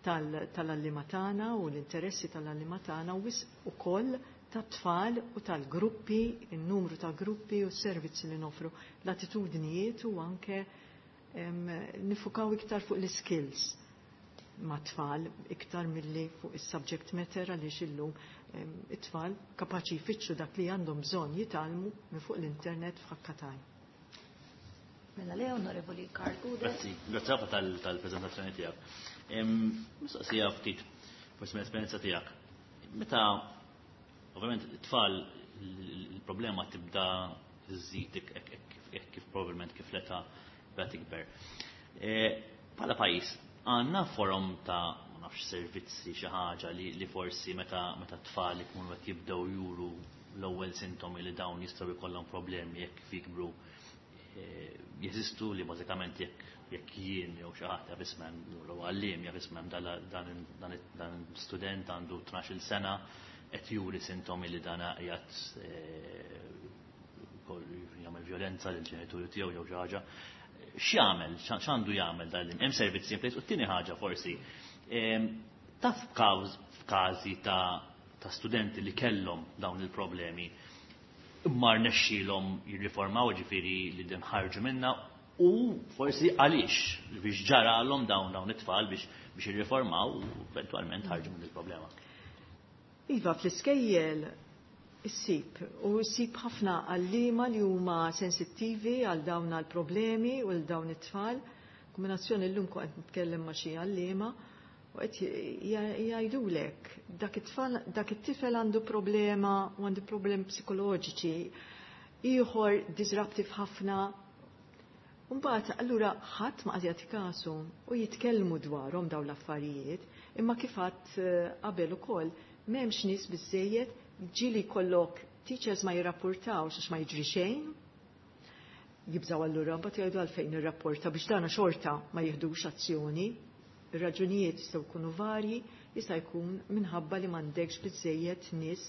tal-għalliema tagħna u l-interessi tal-għalliema tagħna u wisq ukoll tat-tfal u tal-gruppi, il-numru ta' gruppi u s-servizzi li nofru, l-attitudnijiet u anke nifukaw iktar fuq l-skills ma' tfal iktar milli fuq is-subject matter, għaliex illum it-tfal kapaċi jfittxu dak li għandhom bżonn jitgħallmu minn fuq l-internet f'ħakkatajn. Mela le, Onorevoli Karl Gouder. Grazzi, grazzi ħafna tal-preżentazzjoni tiegħek. Mistoqsija ftit forsi mill-esperjenza tiegħek. Meta ovvjament it-tfal il-problema tibda żżid kif probabbilment kif l-età bda tikber. Bħala pajjiż għandna forom ta' ma nafx servizzi xi ħaġa li, li forsi meta meta t-tfal ikunu qed jibdew juru l-ewwel sintomi li dawn jistgħu jkollhom problemi jekk jikbru, jeżistu li bażikament jekk jekk jien jew xi ħadd jaf ismem jew għalliem jaf ismem dan student għandu tnax-il sena qed juri sintomi li dan qiegħed jagħmel violenza lil ġenituri tiegħu jew xi ħaġa. X'jagħmel, x'għandu jagħmel dan hemm servizzi in place. U t-tieni ħaġa forsi, taf f'każi ta' ta' studenti li kellhom dawn il-problemi imma rnexxielhom jirriformaw, ġifieri li din ħarġu minna, u forsi għaliex biex ġaralhom dawn dawn it-tfal biex biex jirriformaw u eventwalment ħarġu minn il-problema. Iva, fl-iskejjel issib, u issib ħafna għalliema li huma sensittivi għal dawn għal-problemi u għal dawn it-tfal. Kombinazzjoni llum kont nitkellem ma' xi għalliema u qed jgħidulek dak it-tfal, dak it-tifel għandu problema u għandu problemi psikoloġiċi, ieħor disruptive ħafna. Mbagħad allura ħadd ma qed jagħti kasu u jitkellmu dwarhom dawn l-affarijiet, imma kif għadt qabel ukoll m'hemmx nies biżejjed. Ġieli jkollok teachers ma jirrapportawx għax ma jiġri xejn. Jibżaw allura mbagħad jgħidu għalfejn irrapporta biex dana xorta ma jieħdux azzjoni. Ir-raġunijiet jistgħu jkunu varji, jista' jkun minħabba li m'għandekx biżejjed nies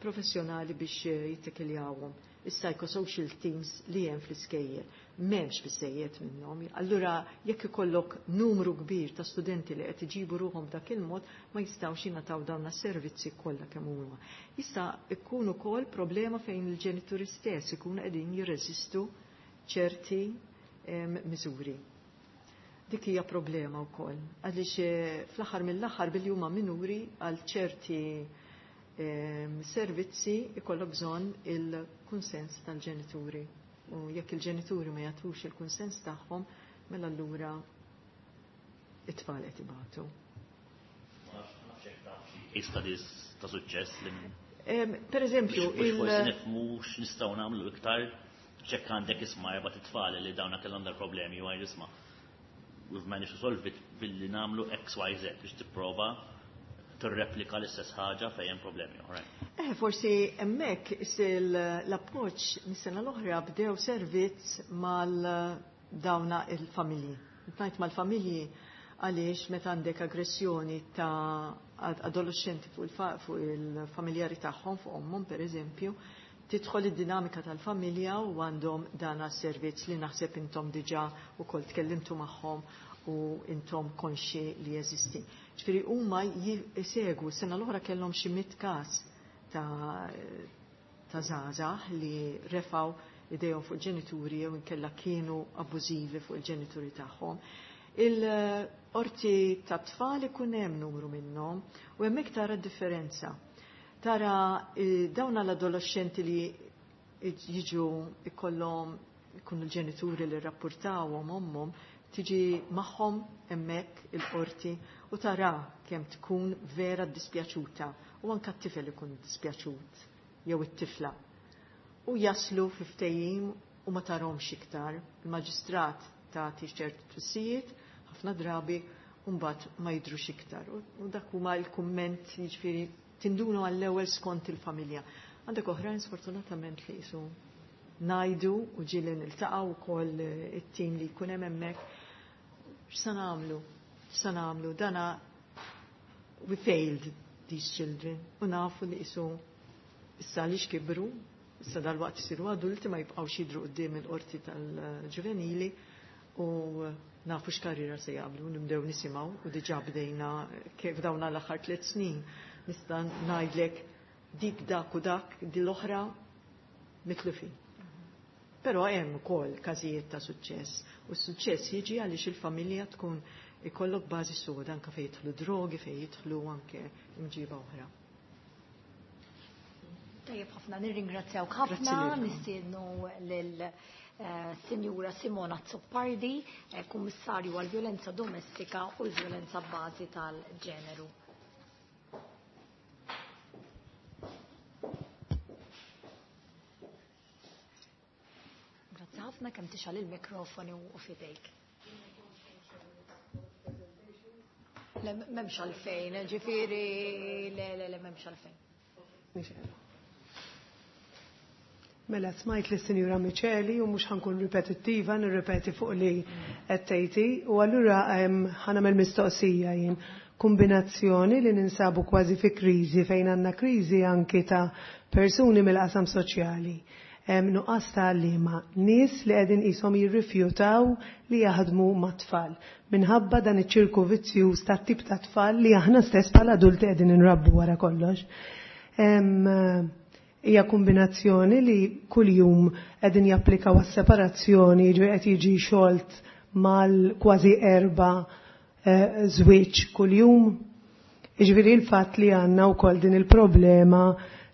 professjonali biex jittekiljawhom. Is-psychosocial teams li hemm fl-iskejjel m'hemmx biżejjed minnhom. Allura jekk ikollok numru kbir ta' studenti li qed iġibu ruħhom b'dak il-mod, ma jistgħux jingħataw dawn is-servizzi kollha kemm huma. Jista' jkun ukoll problema fejn il-ġenituri stess ikunu qegħdin jirreżistu ċerti miżuri. Dik hija problema wkoll, għaliex fl-aħħar mill-aħħar billi huma minuri għal ċerti servizzi ikollok bżonn il-kunsens tal-ġenituri. U jekk il-ġenituri ma jagħtux il-kunsens tagħhom, mela allura it-tfal qed ibatu. Case studies ta' suċċess li Per eżempju, il forsi nifhmu x'nistgħu nagħmlu iktar ċekk għandek isma' erba' tfal li dawna kellhom dal problemi u għajr isma' we've managed to solve it billi nagħmlu X, Y, Z biex tipprova tirreplika l-istess ħaġa fejn hemm problemi oħrajn. Eh, forsi hemmhekk l-approċċ mis-sena l-oħra bdew servizz mal dawna il-familji. Ngħid mal-familji għaliex meta għandek aggressjoni ta' adolescenti fuq il-familjari tagħhom, fuq ommhom pereżempju, tidħol id-dinamika tal-familja u għandhom dana servizz li naħseb intom diġà ukoll tkellimtu magħhom u intom konxi li jeżisti. Ġifieri huma jsegwu sena l-oħra kellhom xi mitt każ ta' ta' żgħażagħ li refaw idejhom fuq il-ġenituri jew inkella kienu abbużivi fuq il-ġenituri tagħhom. Il-qorti ta' tfal ikun hemm numru minnhom u hemmhekk tara d-differenza. Tara dawn l-adolescenti li jiġu ikollhom ikunu l-ġenituri li rrapportawhom ommhom, tiġi magħhom hemmhekk il-qorti u tara kemm tkun vera dispjaċuta u anke t-tifel ikun dispjaċut jew it-tifla. U jaslu fi ftehim u ma tarhomx iktar. Il-maġistrat tagħti ċertu twissijiet ħafna drabi u mbagħad ma jidhrux iktar. U dak huma l-kumment, jiġifieri tindunu għall-ewwel skont il-familja. Għandek oħrajn sfortunatament li jisu ngħidu u ġieli niltaqgħu wkoll it-tim li jkun hemm hemmhekk. X'sa nagħmlu? X'sa nagħmlu? Dana we failed these children u nafu li jisu issa li xkibru, issa dal-waqt isiru adulti ma jibqgħux jidhru quddiem il-qorti tal-ġuvenili u nafu x'karriera se jagħmlu, nibdew nisimgħu u diġà bdejna kif dawna l-aħħar tliet snin nista' ngħidlek dik dak u dak di l-oħra mitlufin. Però hemm ukoll każijiet ta' suċċess u s-suċċess jiġi għaliex il-familja tkun ikollok bażi soda anke fejn jidħlu drogi, fejn jidħlu anke imġiba oħra. Tajjeb ħafna, nirringrazzjawk ħafna, nistiednu lil Sinjura Simona Azzopardi, Kummissarju għal-Vjolenza Domestika u l-Vjolenza b'Bażi tal-Ġeneru. Grazzi ħafna kemm tixgħal il-mikrofoni u fidejk. Le, m'hemmx għalfejn, ġifieri, le, le, le, m'hemmx għalfejn. Mela smajt li Sinjura Miċeli u mhux ħankun ripetittiva, nirripeti fuq li qed tgħidi, u allura ħa nagħmel mistoqsija jien. Kombinazzjoni li ninsabu kważi fi kriżi fejn għandna kriżi anki ta' persuni mill-qasam soċjali. Nuqqas ta' għalliema, nies li qegħdin qishom jirrifjutaw li jaħdmu mat-tfal minħabba dan iċ-ċirku vizzjuż ta' tip ta' tfal li aħna stess bħala adulti qegħdin inrabbu wara kollox. Hija kombinazzjoni li kuljum qegħdin japplikaw għas-separazzjoni, ġi qed jiġi xolt mal kważi erba żwieġ kuljum. Jiġifieri l-fatt li għandna wkoll din il-problema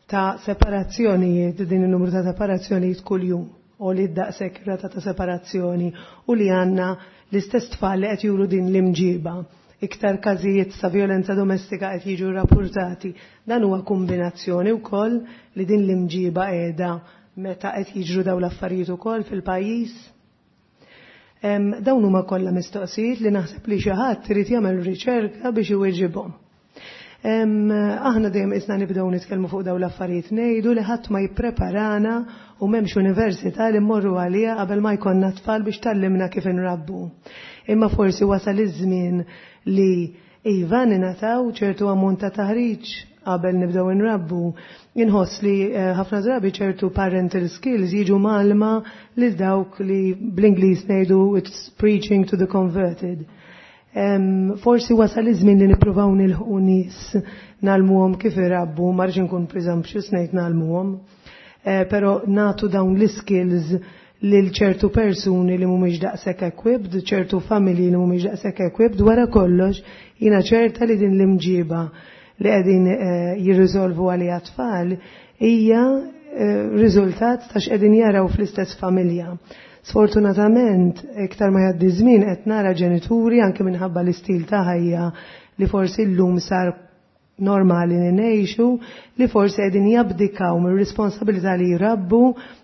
ta' separazzjonijiet, din il-numru ta' separazzjonijiet kuljum, u li daqshekk rata ta' separazzjoni u li għandna l-istess tfal li qed juru din l-imġiba. Iktar każijiet ta' violenza domestika qed jiġu rapportati. Dan huwa kombinazzjoni wkoll li din l-imġiba qiegħda meta qed jiġru dawn l-affarijiet ukoll fil-pajjiż. Dawn huma kollha mistoqsijiet li naħseb li xi ħadd irid jagħmel riċerka biex iweġibhom. Aħna dejjem isna nibdew nitkellmu fuq dawn l-affarijiet ngħidu li ħadd ma jippreparana u m'hemmx università li mmorru għaliha qabel ma jkollna tfal biex tallimna kif inrabbu. Imma forsi wasal iż-żmien li iva ningħataw ċertu ammont ta' taħriġ qabel nibdew inrabbu. Inħoss li ħafna drabi ċertu parental skills jiġu malma lil dawk li bl-Ingliż ngħidu it's preaching to the converted. Forsi wasal iż-żmien li nippruvaw nilħqu nies nagħlmuhom kif irabbu, ma rridx inkun presumptuous ngħid nagħlmuhom, però nagħtu dawn l-skills lil ċertu persuni li mhumiex daqshekk equipped, ċertu familji li mhumiex daqshekk equipped, wara kollox jiena ċerta li din l-imġiba li qegħdin jirriżolvu għaliha tfal hija riżultat ta' x'qegħdin jaraw fl-istess familja. Sfortunatament, iktar ma jgħaddi żmien qed nara ġenituri anke minħabba l-istil ta' ħajja li forsi llum sar normali li ngħixu li forsi qegħdin jabdikaw mir-responsabilità li jrabbu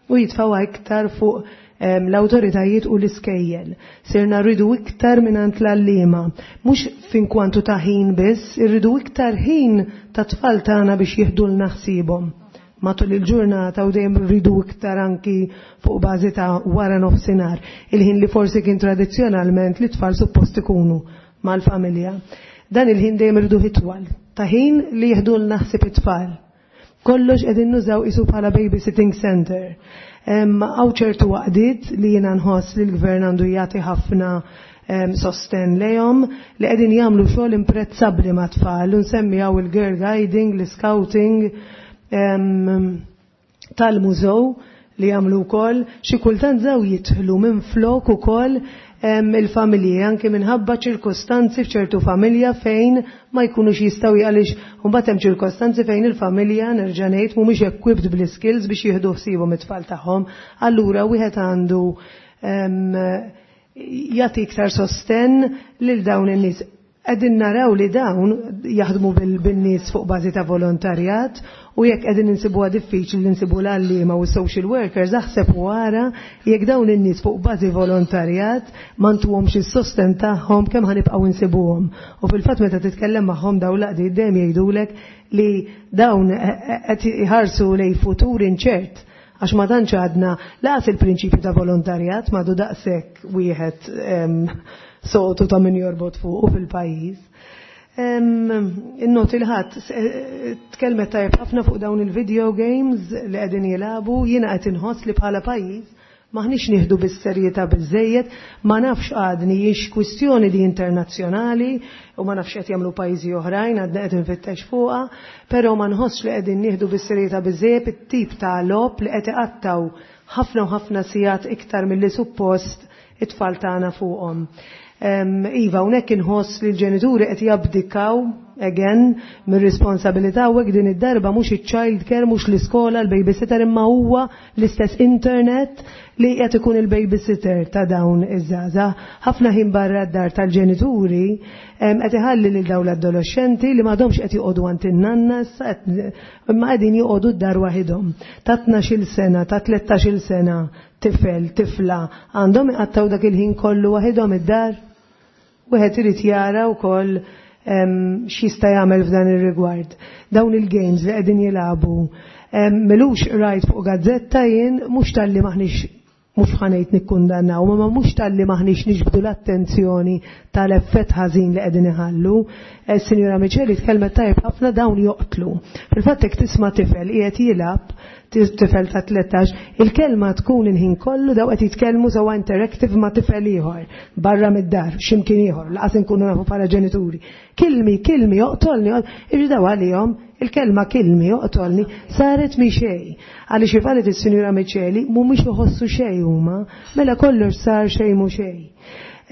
u jitfgħu iktar fuq l-awtoritajiet u l-iskejjel. Sirna rridu iktar mingħand l-għalliema, mhux fin kwantu ta' ħin biss, irridu iktar ħin ta' tfal tagħna biex jieħdulna ħsiebhom matul il-ġurnata u dejjem rridu iktar anki fuq bażi ta' wara nofsinhar, il-ħin li forsi kien tradizzjonalment li tfal suppost ikunu mal-familja. Dan il-ħin dejjem irridu itwal, ta' ħin li jieħdulna ħsieb it-tfal. Kollox qegħdin nużaw isu bħala babysitting center. Hawn ċertu waqdiet li jiena nħoss li l-gvern għandu jagħti ħafna sosten lejhom li qegħdin jagħmlu xogħol imprezzabbli ma' tfal. Nsemmi hawn il-girl guiding, l-scouting, tal-mużew li jagħmlu wkoll, xi kultant żaw jidħlu minn flok ukoll il-familji, anke minħabba ċirkostanzi f'ċertu familja fejn ma jkunux jistgħu, għaliex mbagħad hemm ċirkostanzi fejn il-familja, nerġa' ngħid, mhumiex equipped bl-skills biex jieħdu ħsiebhom it-tfal tagħhom. Allura wieħed għandu jagħti iktar sosten lil dawn in-nies. Qegħdin naraw li dawn jaħdmu bil-nies fuq bażi ta' volontarjat, u jekk qegħdin insibuha diffiċli li nsibu l-għalliema u social workers, aħseb wara jekk dawn in-nies fuq bażi volontarjat ma ntuhomx is-sosten tagħhom, kemm ħanibqgħu insibuhom. U fil-fatt meta titkellem magħhom dawn l-għaqdiet dejjem jgħidulek li dawn qed iħarsu lejn futur inċert, għax ma tantx għadna laqas il-prinċipju ta' volontarjat m'għadu daqshekk wieħed sotu ta' min jorbot fuq fil-pajjiż. Innoti l-ħadd tkellmet tajjeb ħafna fuq dawn il-video games li qegħdin jilagħbu. Jiena qed inħoss li bħala pajjiż maħniex nieħdu bis-serjetà biżejjed, ma nafx għadni jiex kwistjoni di internazzjonali u ma nafx qed jagħmlu pajjiżi oħrajn, għadna qed infittex fuqha, però ma nħossx li qegħdin nieħdu bis-serjetà biżejjed it-tip ta' logħob li qed iqattaw ħafna u ħafna sigħat iktar milli suppost it-tfal tagħna fuqhom. Iva, hawnhekk inħoss li l-ġenituri qed jabdikaw again mir-responsabilità, u hekk din id-darba mhux iċ-child care, mhux l-iskola, l-babysitter, imma huwa l-istess internet li qed ikun il-babysitter ta' dawn iż-żgħażagħ. Ħafna ħin barra d-dar tal-ġenituri qed iħalli lil dawn l-adolescenti li m'għadhomx qed joqogħdu għand in-nanna issa, imma qegħdin joqogħdu d-dar waħidhom. Ta' tnax-il sena, ta' tlettax-il sena, tifel, tifla, għandhom iqattaw dak il-ħin kollu waħidhom id-dar. Wieħed irid jara wkoll x'jista' jagħmel f'dan ir-rigward. Dawn il-games li qegħdin jilagħbu, m'ilux rajt fuq gazzetta jien, mhux talli maħniex, mhux ħanejt nikkundannaw, ma mhux talli maħniex niġbdu l-attenzjoni tal-effett ħażin li qegħdin iħallu. Sinjura Miċeli tkellmet tajjeb ħafna, dawn joqtlu. Fil-fatt jekk tisma' tifel qiegħed jilgħab, tifel ta' tlettax, il-kelma tkun il-ħin kollu daw qed jitkellmu sewa interactive ma' tifel ieħor barra mid-dar, x'imkien ieħor, laqas inkunu nafu bħala ġenituri. Kilmi, kilmi, joqtolni, irridaw għalihom il-kelma kilmi joqtolni saret mi xejn. Għaliex kif qalet is-Sinjura Miċeli mhumiex iħossu xejn huma, mela kollox sar xejn mhu xejn.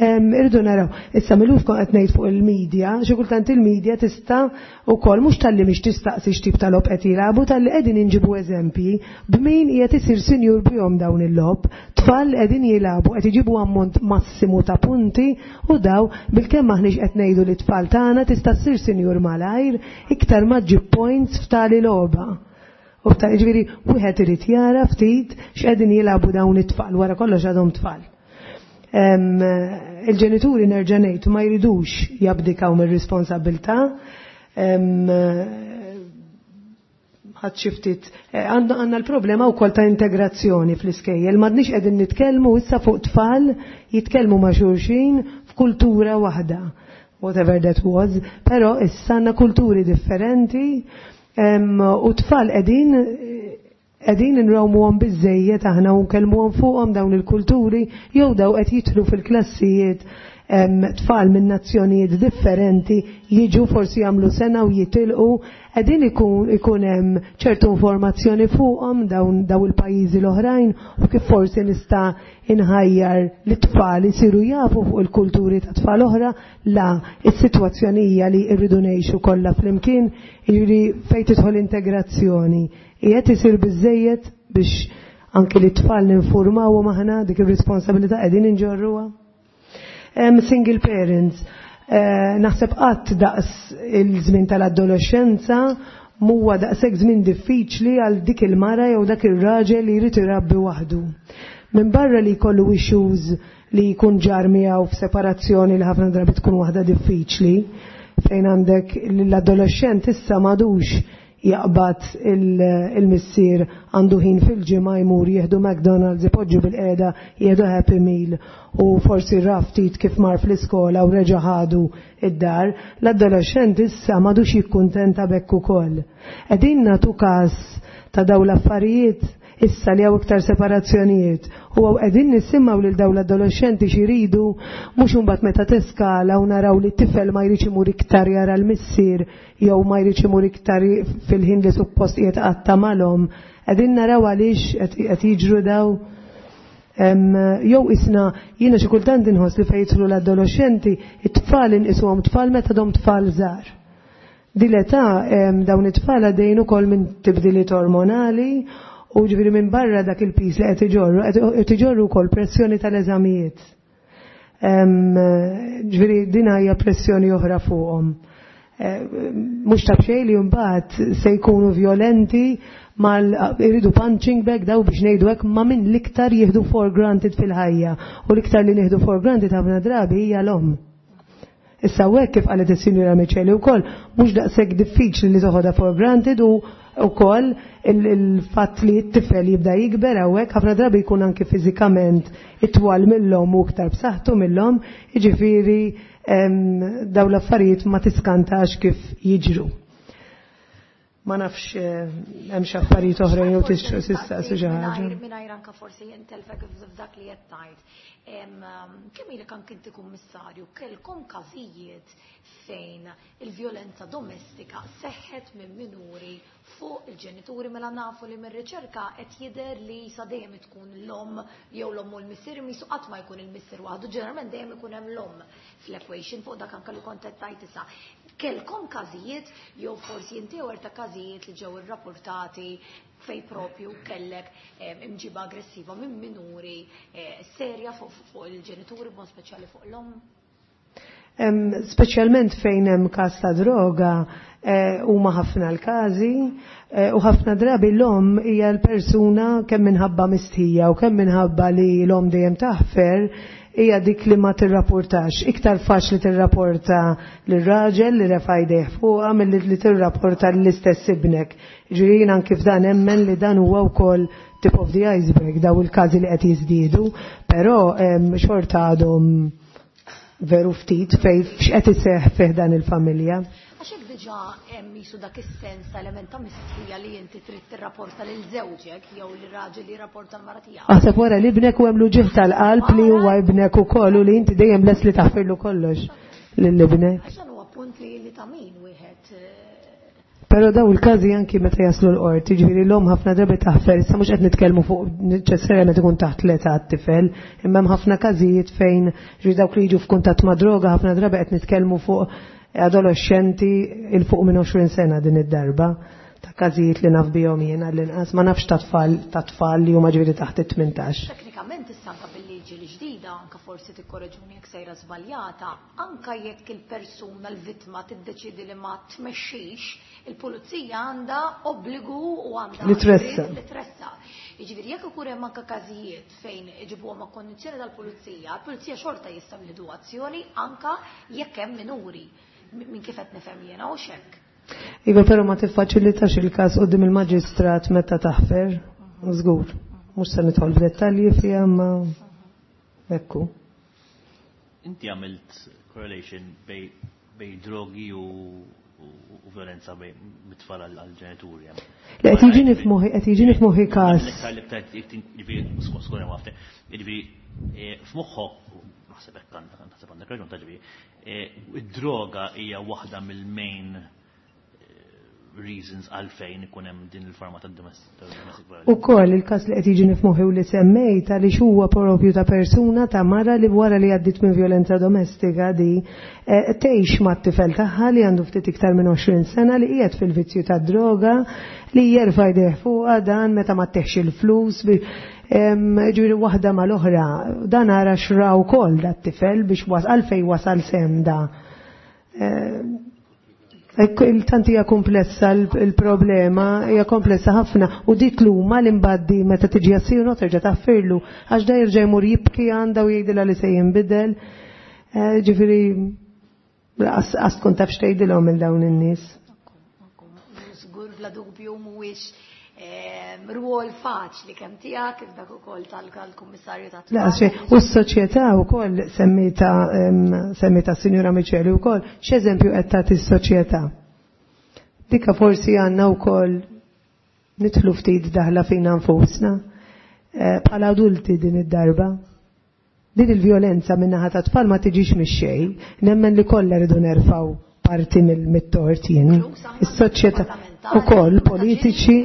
Irridu naraw, issa m'ilux kont qed ngħid fuq il-medja, xi kultant il-medja tista' wkoll mhux talli mhix tistaqsi x'tip ta' logħob qed jilagħbu, talli qegħdin inġibu eżempji b'min qiegħed isir sinjur bihom dawn il-logħob, tfal qegħdin jilagħbu qed iġibu ammont massimu ta' punti, u daw bilkemm aħniex qed ngħidu li tfal tagħna tista' ssir sinjur malajr iktar ma ġib points f'tali logħba. U f'ta' jiġifieri wieħed irid jara ftit x'qegħdin jilagħbu dawn it-tfal, wara kollox għadhom tfal. Il-ġenituri, nerġa' ngħid, ma jridux jabdikaw mir-responsabilità. Ħadd xi ftit għandna l-problema wkoll ta' integrazzjoni fl-iskejjel, m'għadniex qegħdin nitkellmu issa fuq tfal jitkellmu ma' xulxin f'kultura waħda, whatever that was, però issa għandna kulturi differenti u tfal qegħdin qegħdin nrawmuhom biżejjed aħna u nkellmuhom fuqhom dawn il-kulturi, jew daw qed jidħlu fil-klassijiet tfal minn nazzjonijiet differenti, jiġu forsi jagħmlu sena u jitilqu, qegħdin ikun ikun hemm ċertu informazzjoni fuqhom dawn daw il-pajjiżi l-oħrajn, u kif forsi nista' inħajjar li tfal isiru jafu fuq il-kulturi ta' tfal oħra. La, is-sitwazzjoni hija li rridu ngħixu kollha flimkien, jiġifieri fejn tidħol integrazzjoni qiegħed isir biżejjed biex anke li tfal ninformawhom aħna dik ir-responsabilità qegħdin inġorruha. Single parents, Eh, naħseb qatt daqs il-żmien tal-adolescenza huwa daqshekk żmien diffiċli għal dik il-mara jew dak ir-raġel li jrid irabbi waħdu. Minn barra li jkollu issues li jkun ġar miegħu f'separazzjoni li ħafna drabi tkun waħda diffiċli, fejn għandek l-adolescent issa m'għadux jaqbad il-missier għandu ħin fil-ġimgħa jmur jieħdu McDonald's, ipoġġu bil-qiegħda, jieħdu Happy Meal u forsi raftit kif mar fl-iskola u reġa' ħadu id-dar, l-adolescent issa m'għadux jikkuntenta bekk ukoll. Qegħdin nagħtu każ ta' dawn l-affarijiet issa li hawn iktar separazzjonijiet u qegħdin nisimgħu lil dawn l-adolescenti x'iridu, mhux imbagħad meta teskala u naraw li t-tifel ma jridx imur iktar jara l-missier jew ma jridx imur iktar fil-ħin li suppost qiegħed qatta malhom. Qegħdin naraw għaliex qed jiġru daw. Jew isna jiena xi kultant inħoss li fejn jidħlu l-adolescenti, it-tfal inqisuhom tfal meta dom tfal żgħar. Din l-età dawn it-tfal għaddejjin ukoll minn tibdiliet ormonali u ġifieri minn barra dak il-pis li qed iġorru, qed iġorru wkoll pressjoni tal-eżamijiet. Ġifieri din hija pressjoni oħra fuqhom. Mhux ta' b'xejn li mbagħad se jkunu violenti mal iridu punching bag daw biex ngħidu hekk ma' min l-iktar jieħdu for granted fil-ħajja u l-iktar li nieħdu for granted ħafna drabi hija l-omm. Issa hekk kif qalet is-Sinjura Miċeli wkoll mhux daqshekk diffiċli li toħodha for granted u ukoll il-fatt li t-tifel jibda jikber hawnhekk ħafna drabi jkun anke fiżikament itwal mill-omm u iktar b'saħħtu mill-omm, jiġifieri dawn l-affarijiet ma tiskantax kif jiġru. Ma nafx hemm xi affarijiet oħra jew tistaqsi xi ħaġa. Mingħajr anke forsi intelfek f'dak li qed tgħid. Kemm ilek anke inti kummissarju, kellkom każijiet fejn il-vjolenza domestika seħħet minn minuri fuq il-ġenituri, mela nafu li mir-riċerka qed jidher li sa dejjem tkun l-omm jew l-omm u l-missier, misu qatt ma jkun il-missier waħdu, ġeneralment dejjem ikun hemm l-omm fl-equation fuq dak anke li kont qed tgħid issa. Kellkom każijiet jew forsi inti ta' każijiet li ġew irrapportati fej propju kellek imġiba aggressiva minn minuri serja fuq il-ġenituri, b'mod speċjali fuq l-omm? Speċjalment fejn hemm każ ta' droga huma ħafna l-każi u ħafna drabi l-omm hija l-persuna kemm minħabba mistħija u kemm minħabba li l-omm dejjem taħfer hija dik li ma tirrapportax. Iktar faċli tirrapporta lir-raġel li refa' jdejh fuqha milli li tirrapporta lill-istess ibnek. Ġifieri jien anke f'dan emmen li dan huwa wkoll tip of the iceberg daw il-każi li qed jiżdiedu, però xorta għadhom veru ftit fej x'qed iseħħ fih dan il-familja. Għax hekk diġà hemm jisu dak is-sens ta' element ta' mistħija li inti trid tirrapporta lil żewġek jew lir-raġel li jirrapporta l-mara tiegħek. Aħseb wara li ibnek u hemm l-uġigħ tal-qalb li huwa ibnek ukoll u li inti dejjem lest li taħfirlu kollox lil ibnek. Għax dan huwa punt li li ta' min wieħed. Però daw il-każi anki meta jaslu l-qorti, ġifieri l-omm ħafna drabi taħfer, issa mhux qed nitkellmu fuq neċessarjament ikun taħt l-età t-tifel, imma hemm ħafna każijiet fejn ġifieri dawk li jiġu f'kuntatt ma' droga ħafna drabi qed nitkellmu fuq adolescenti il fuq minn għoxrin sena din id-darba ta' każijiet li naf bihom jiena l-inqas, ma nafx ta' tfal ta' tfal li huma ġifieri taħt it-tmintax. Teknikament issa anke bil-liġi l-ġdida, anke forsi tikkoreġuni jekk sejra żbaljata, anke jekk il-persuna l-vittma tiddeċiedi li ma tmexxix, il-pulizija għandha obbligu u għandha li tressa. Li tressa. Jiġifieri jekk ikun hemm anke każijiet fejn iġibuhom ma' kondizzjoni tal-pulizija, il-pulizija xorta jistgħu jieħdu azzjoni anke jekk hemm minuri. Minn kif qed nifhem jiena u xekk. Iva, però ma tiffaċilitax il-każ quddiem il-maġistrat meta taħfer, żgur. Mhux se nidħol f'dettalji fiha ma ekku. Inti għamilt correlation bej bej drogi u u violenza bej mit-tfal għal-ġenituri. Le qed jiġini f'moħħi, qed jiġini f'moħħi każ. Jiġifieri f'moħħok naħseb hekk naħseb għandek raġun ta' ġifieri id-droga hija waħda mill-main reasons għalfejn ikun hemm din il-forma ta' domestic violence. Ukoll il-każ li qed jiġini f'moħħi u li semmejt għaliex huwa propju ta' persuna ta' mara li wara li għaddiet minn violenza domestika di tgħix mat-tifel tagħha li għandu ftit iktar minn għoxrin sena li qiegħed fil-vizzju tad-droga li jerfa' jdejh fuqha dan meta ma tteħx il-flus ġifieri waħda mal-oħra. Dan ara xra wkoll dat-tifel biex was għalfejn wasal sem da. Tant hija komplessa l-problema, hija komplessa ħafna u dik l-huma li mbaddi meta tiġi għassir terġa' taffirlu għax da jerġa' jmur jibki għandha u jgħidilha li se jinbidel. Ġifieri għas tkun taf x'tgħidilhom minn dawn in-nies. Żgur bla dubju mhuwiex rwol faċli kemm tiegħek iżda ukoll tal-Kummissarju tat-Tfal. U s-soċjetà wkoll semmita semmita s-Sinjura Miceli wkoll x'eżempju qed tagħti s-soċjetà. Dika forsi għandna wkoll nidħlu ftit daħla fina nfusna bħala adulti din id-darba. Din il-vjolenza min-naħa tat-tfal ma tiġix mix-xejn, nemmen li kollha rridu nerfgħu parti mill-tort jien. Is-soċjetà ukoll politiċi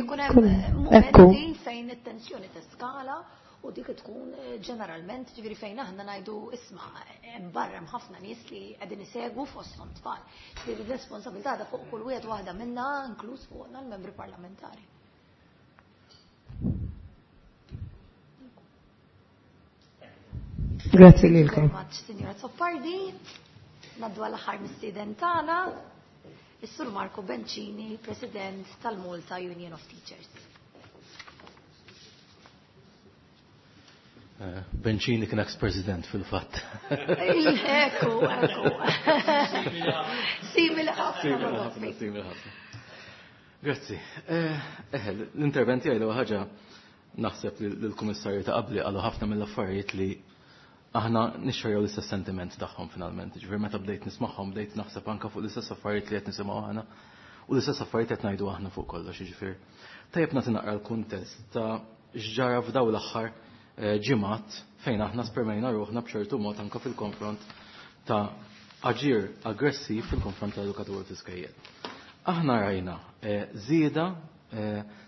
ekku. Fejn it-tensjoni teskala u dik tkun ġeneralment ġifieri fejn aħna ngħidu isma' hemm barra hemm ħafna nies li qegħdin isegwu fosthom tfal. Ġifieri r-responsabilità da fuq kull wieħed waħda minna inkluż fuqna l-membri parlamentari. Grazie lilkom. Signora Zoppardi. Naddu għall-aħħar mistieden tagħna, is-Sur Marco Bencini, President tal-Malta Union of Teachers. Bencini kien ex-president fil-fatt. Ekku, ekku. Simili ħafna. Simili ħafna. Grazzi. Eh, l-intervent tiegħi l ħaġa naħseb li l-Kummissarju ta' qabli qalu ħafna mill-affarijiet li aħna nixxerjaw l-istess sentiment tagħhom finalment. Ġifieri meta bdejt nismagħhom bdejt naħseb anke fuq l-istess affarijiet li qed nisimgħu aħna u l-istess affarijiet qed ngħidu aħna fuq kollox, jiġifieri. Tajjeb nagħti naqra l-kuntest ta' x'ġara f'dawn l-aħħar ġimgħat fejn aħna spermejna ruħna b'ċertu mod anke fil-konfront ta' aġir aggressiv fil-konfront tal-edukaturi fl-iskejjel. Aħna rajna żieda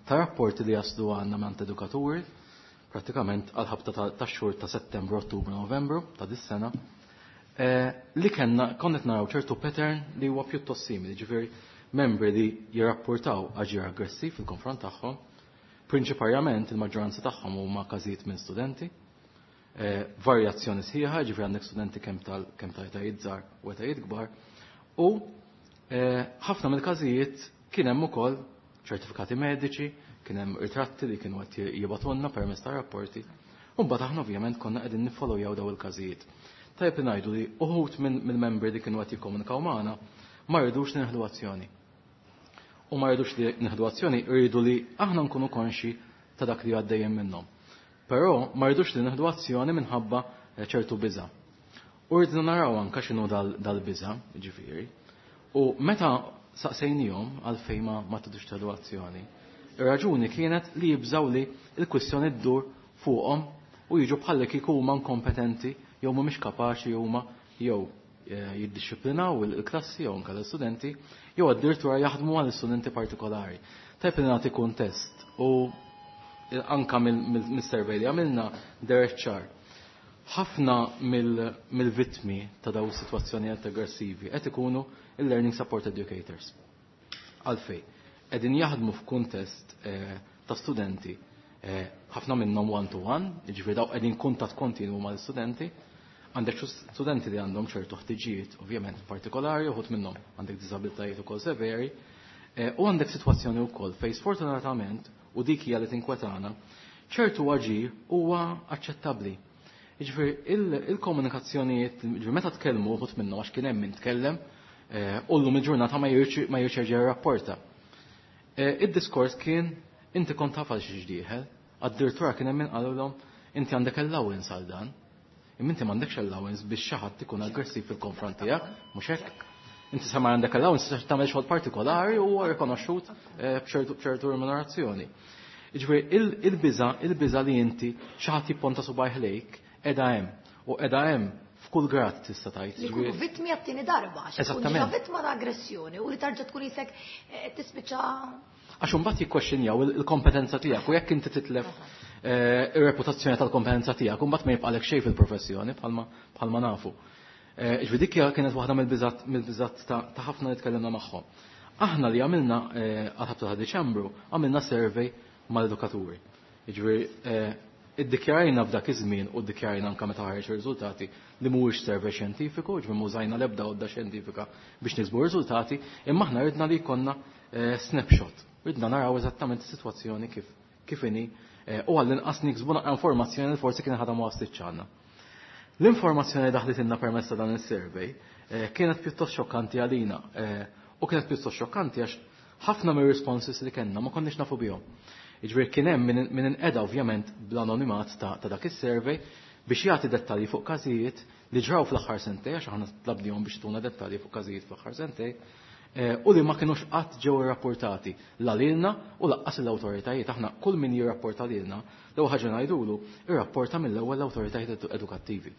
ta' rapporti li jaslu għandna minn edukaturi pratikament għal-ħabta ta' xhur ta' Settembru, Ottubru, Novembru ta' dis-sena, li kellna konnet naraw ċertu pattern li huwa pjuttost simili, ġifieri membri li jirrapportaw aġir aggressiv fil-konfront tagħhom, prinċiparjament il-maġġoranza tagħhom huma każijiet minn studenti, varjazzjoni sħiħa, ġifieri għandek studenti kemm tal kemm ta' etajiet żgħar u etajiet kbar, u ħafna mill-każijiet kien hemm ukoll ċertifikati mediċi, kien hemm ritratti li kienu qed jibgħatulna permezz ta' rapporti. U mbagħad aħna ovvjament konna qegħdin niffollowjaw daw il-każijiet. Tajjeb ngħidu li uħud mill-membri li kienu qed jikkomunikaw magħna ma rridux li nieħdu azzjoni. U ma rridux li nieħdu azzjoni, rridu li aħna nkunu konxi ta' dak li għaddejjem minnhom. Però ma rridux li nieħdu azzjoni minħabba ċertu biża'. U rridna naraw anke x'inhu dal-biża', jiġifieri. U meta saqsejnihom għalfejn ma tidux tieħdu azzjoni, ir-raġuni kienet li jibżaw li l-kwistjoni ddur fuqhom u jiġu bħalli kieku huma inkompetenti jew mhumiex kapaċi huma jew jiddixxiplinaw il-klassi jew anke l-istudenti jew addirittura jaħdmu għal istudenti partikolari. Tajb li nagħti kuntest u anke mill-survey li għamilna deher ċar. Ħafna mill-vittmi ta' dawn is-sitwazzjonijiet aggressivi qed ikunu il-learning support educators. Għalfejn? Qegħdin jaħdmu f'kuntest ta' studenti, ħafna minnhom one to one, jiġifieri daw qegħdin kuntatt kontinwu mal-istudenti, għandek studenti li għandhom ċertu ħtiġijiet ovvjament partikolari, uħud minnhom għandek diżabilitajiet ukoll severi, u għandek sitwazzjoni wkoll fejn sfortunatament u dik hija li tinkwetana, ċertu aġir huwa aċċettabbli. Jiġifieri il-komunikazzjonijiet, jiġifieri meta tkellmu uħud minnhom għax kien hemm min tkellem, u llum il-ġurnata ma jirċerġa jirrapporta. Id-diskors kien inti kont taf għal xi ġdieħel, addirittura kien hemm min qalulhom inti għandek allowance għal dan. Imma inti m'għandekx allowance biex xi ħadd ikun aggressiv fil-konfront tiegħek, mhux hekk? Inti sa ma għandek allowance biex tagħmel xogħol partikolari u huwa rikonoxxut b'ċertu remunerazzjoni. Jiġifieri il-biża, il-biża li inti xi ħadd jipponta subajh lejk qiegħda hemm u qiegħda hemm f'kull grad tista' tgħid. Li jkunu vittmi għat-tieni darba, għax ikun ġa vittma ta' aggressjoni u li tarġa' tkun isek tispiċċa. Għax imbagħad jikkwestjonjaw il-kompetenza tiegħek u jekk inti titlef ir-reputazzjoni tal-kompetenza tiegħek imbagħad ma jibqalek xejn fil-professjoni bħalma bħalma nafu. Ġifieri dik kienet waħda mill-biżat mill-biżat ta' ħafna li tkellimna magħhom. Aħna li għamilna għal ħabta ta' Diċembru għamilna survey mal-edukaturi. Jiġifieri Iddikjarajna f'dak iż-żmien u ddikjarajna anke meta ħareġ ir-riżultati li mhuwiex survey xjentifiku, ġifieri m'użajna l-ebda għodda xjentifika biex niksbu riżultati, imma aħna ridna li jkollna eh, snapshot. Ridna naraw eżattament is-sitwazzjoni kif kif inhi eh, u għall-inqas niksbu naqra informazzjoni li forsi kien ħadha ma waslitx għandna. L-informazzjoni li daħlitilna permezz ta' dan is-survey eh, kienet pjuttost xokkanti għalina u kienet pjuttost xokkanti għax ħafna mir-responses li kellna ma konniex nafu bihom. Jiġifieri kien hemm min inqeda ovvjament bl-anonimat ta' dak is-survey biex jagħti dettalji fuq każijiet li ġraw fl-aħħar sentej, għax aħna tlabnihom biex tuna dettalji fuq każijiet fl-aħħar sentej, eh, u li ma kinux qatt ġew irrapportati la lilna u lanqas l-awtoritajiet. Aħna kull min jirrapporta lilna, l-ewwel ħaġa ngħidulu, irrapporta mill-ewwel l-awtoritajiet edukattivi.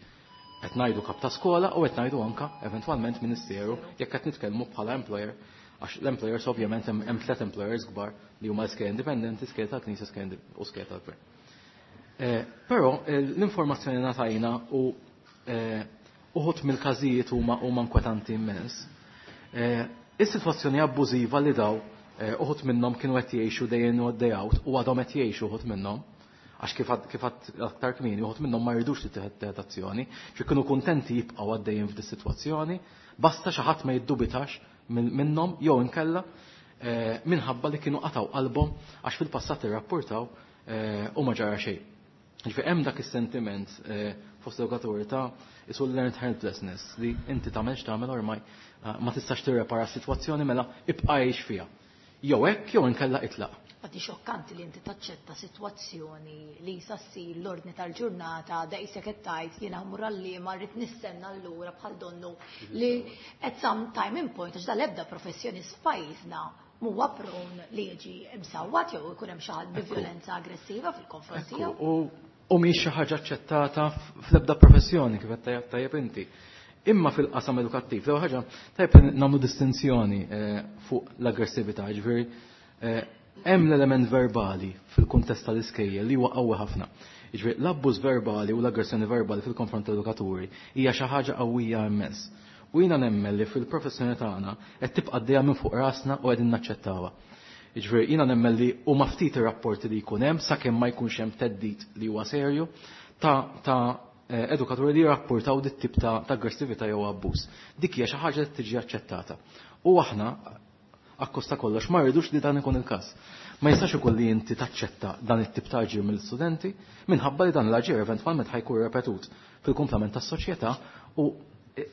Qed ngħidu kap ta' skola u qed ngħidu anka eventwalment ministeru jekk qed nitkellmu bħala employer, għax l-employers ovvjament hemm tliet employers kbar li huma skejjel indipendenti, skejjel tal-Knisja u skejjel tal-Gvern. Eh, però eh, l-informazzjoni ngħatajna u eh, uħud mill-każijiet huma huma inkwetanti immens. Is-sitwazzjoni abbużiva li daw uħud minnhom kienu qed jgħixu day in u day out u għadhom qed jgħixu uħud minnhom, għax kif aktar kmieni uħud minnhom ma jridux li tieħed azzjoni, xi kienu kuntenti jibqgħu għaddejjin f'di sitwazzjoni, basta xi ħadd ma jiddubitax minnhom jew inkella eh, minħabba li kienu qataw qalbhom għax fil-passat irrapportaw eh, u ma ġara xejn. Ġifieri hemm dak is-sentiment eh, fost edukaturi ta' isu learned helplessness li inti tagħmel x'tagħmel ormai ma tistax tirrepara s-sitwazzjoni, mela ibqa' għix fiha. Jew hekk jew inkella itlaq. Għaddi xokkanti li inti taċċetta sitwazzjoni li sa ssir l-ordni tal-ġurnata, daqshekk qed tgħid jiena mmur għalliema rrid nistenna allura bħal donnu li at some time in point, għax dal-ebda professjonist f'pajjiżna huwa prone li jiġi msawwat jew ikun hemm xi ħadd bi violenza aggressiva fil-konfront tiegħu. U u mhix xi ħaġa aċċettata fl-ebda professjoni, kif qed tajjeb inti. Imma fil-qasam edukattiv, l ħaġa tajjeb nagħmlu distinzjoni eh, fuq l-aggressività, ġifieri eh, hemm l-element verbali fil-kuntest tal-iskejjel li huwa qawwi ħafna. Jiġifieri l-abbuż verbali u l-aggressjoni verbali fil-konfront tal-edukaturi hija xi ħaġa qawwija immens. U jiena nemmen li fil-professjoni tagħna qed tibqa' għaddejja minn fuq rasna u qegħdin naċċettawha. Jiġifieri jiena nemmen li huma ftit ir-rapporti li jkun hemm, sakemm ma jkunx hemm theddid li huwa serju, ta' ta' eh, edukaturi li jirrapportaw dit tip ta' aggressività jew abbuż. Dik hija xi ħaġa li tiġi aċċettata. U aħna akkosta kollox ma rridux li dan ikun il-każ. Ma jistax ikun li inti taċċetta dan it-tip ta' aġir mill-studenti minħabba li dan l-aġir eventwalment ħa jkun repetut fil-kumplament tas-soċjetà, u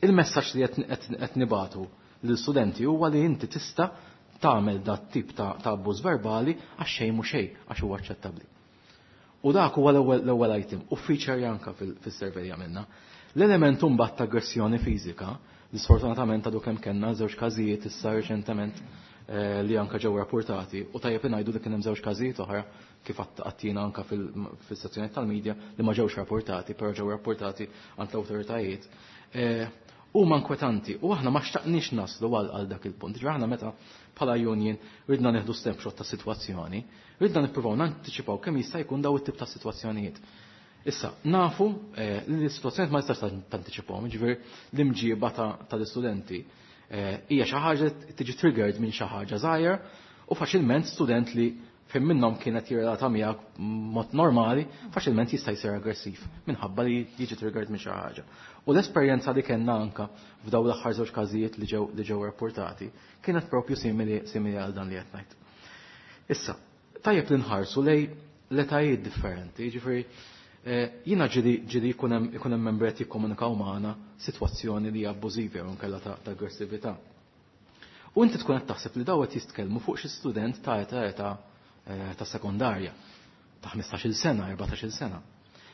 il-messaġġ li qed nibatu lill-studenti huwa li inti tista' tagħmel dat tip ta' abbuż verbali għax xejn mhu xejn, għax huwa aċċettabbli. U dak huwa l-ewwel item u feature anka fis-survey li għamilna. L-element mbagħad ta' aggressjoni fiżika, li sfortunatament għadu kemm kellna żewġ każijiet issa reċentement eh, li anka ġew rapportati, u tajjeb ngħidu li kien hemm żewġ każijiet oħra kif għattina anka fil-sezzjoni tal-medja li ma ġewx rapportati, però ġew rapportati għand l-awtoritajiet. Eh, huma inkwetanti u aħna ma xtaqniex naslu għal dak il-punt. Ġifieri aħna meta bħala union ridna nieħdu snapshot ta' sitwazzjoni, ridna nippruvaw nantiċipaw kemm jista' jkun daw it-tip ta' sitwazzjonijiet. Issa, nafu eh, li l-sitwazzjoni ma jistax tantiċipahom, ġifieri l-imġiba tal-istudenti eh, hija xi ħaġa tiġi triggered minn xi ħaġa żgħira, u faċilment student li fejn minnhom kienet jirrelata miegħek mod normali, faċilment jista' jsir aggressiv minħabba li jiġi triggered minn xi ħaġa. U l-esperjenza li kellna anka f'daw l-aħħar żewġ każijiet li ġew li ġew rapportati kienet propju simili simili għal dan li qed ngħid. Issa, tajjeb li nħarsu lej l-etajiet differenti, jiġifieri eh, jiena ġieli ġieli jkun hemm ikun hemm membri qed jikkomunikaw magħna sitwazzjoni li hija abbużiva jew inkella ta' aggressività. U inti tkun qed taħseb li daw qed jitkellmu fuq xi student ta' età età eh, ta' sekondarja ta' ħmistax-il sena, erbatax-il sena.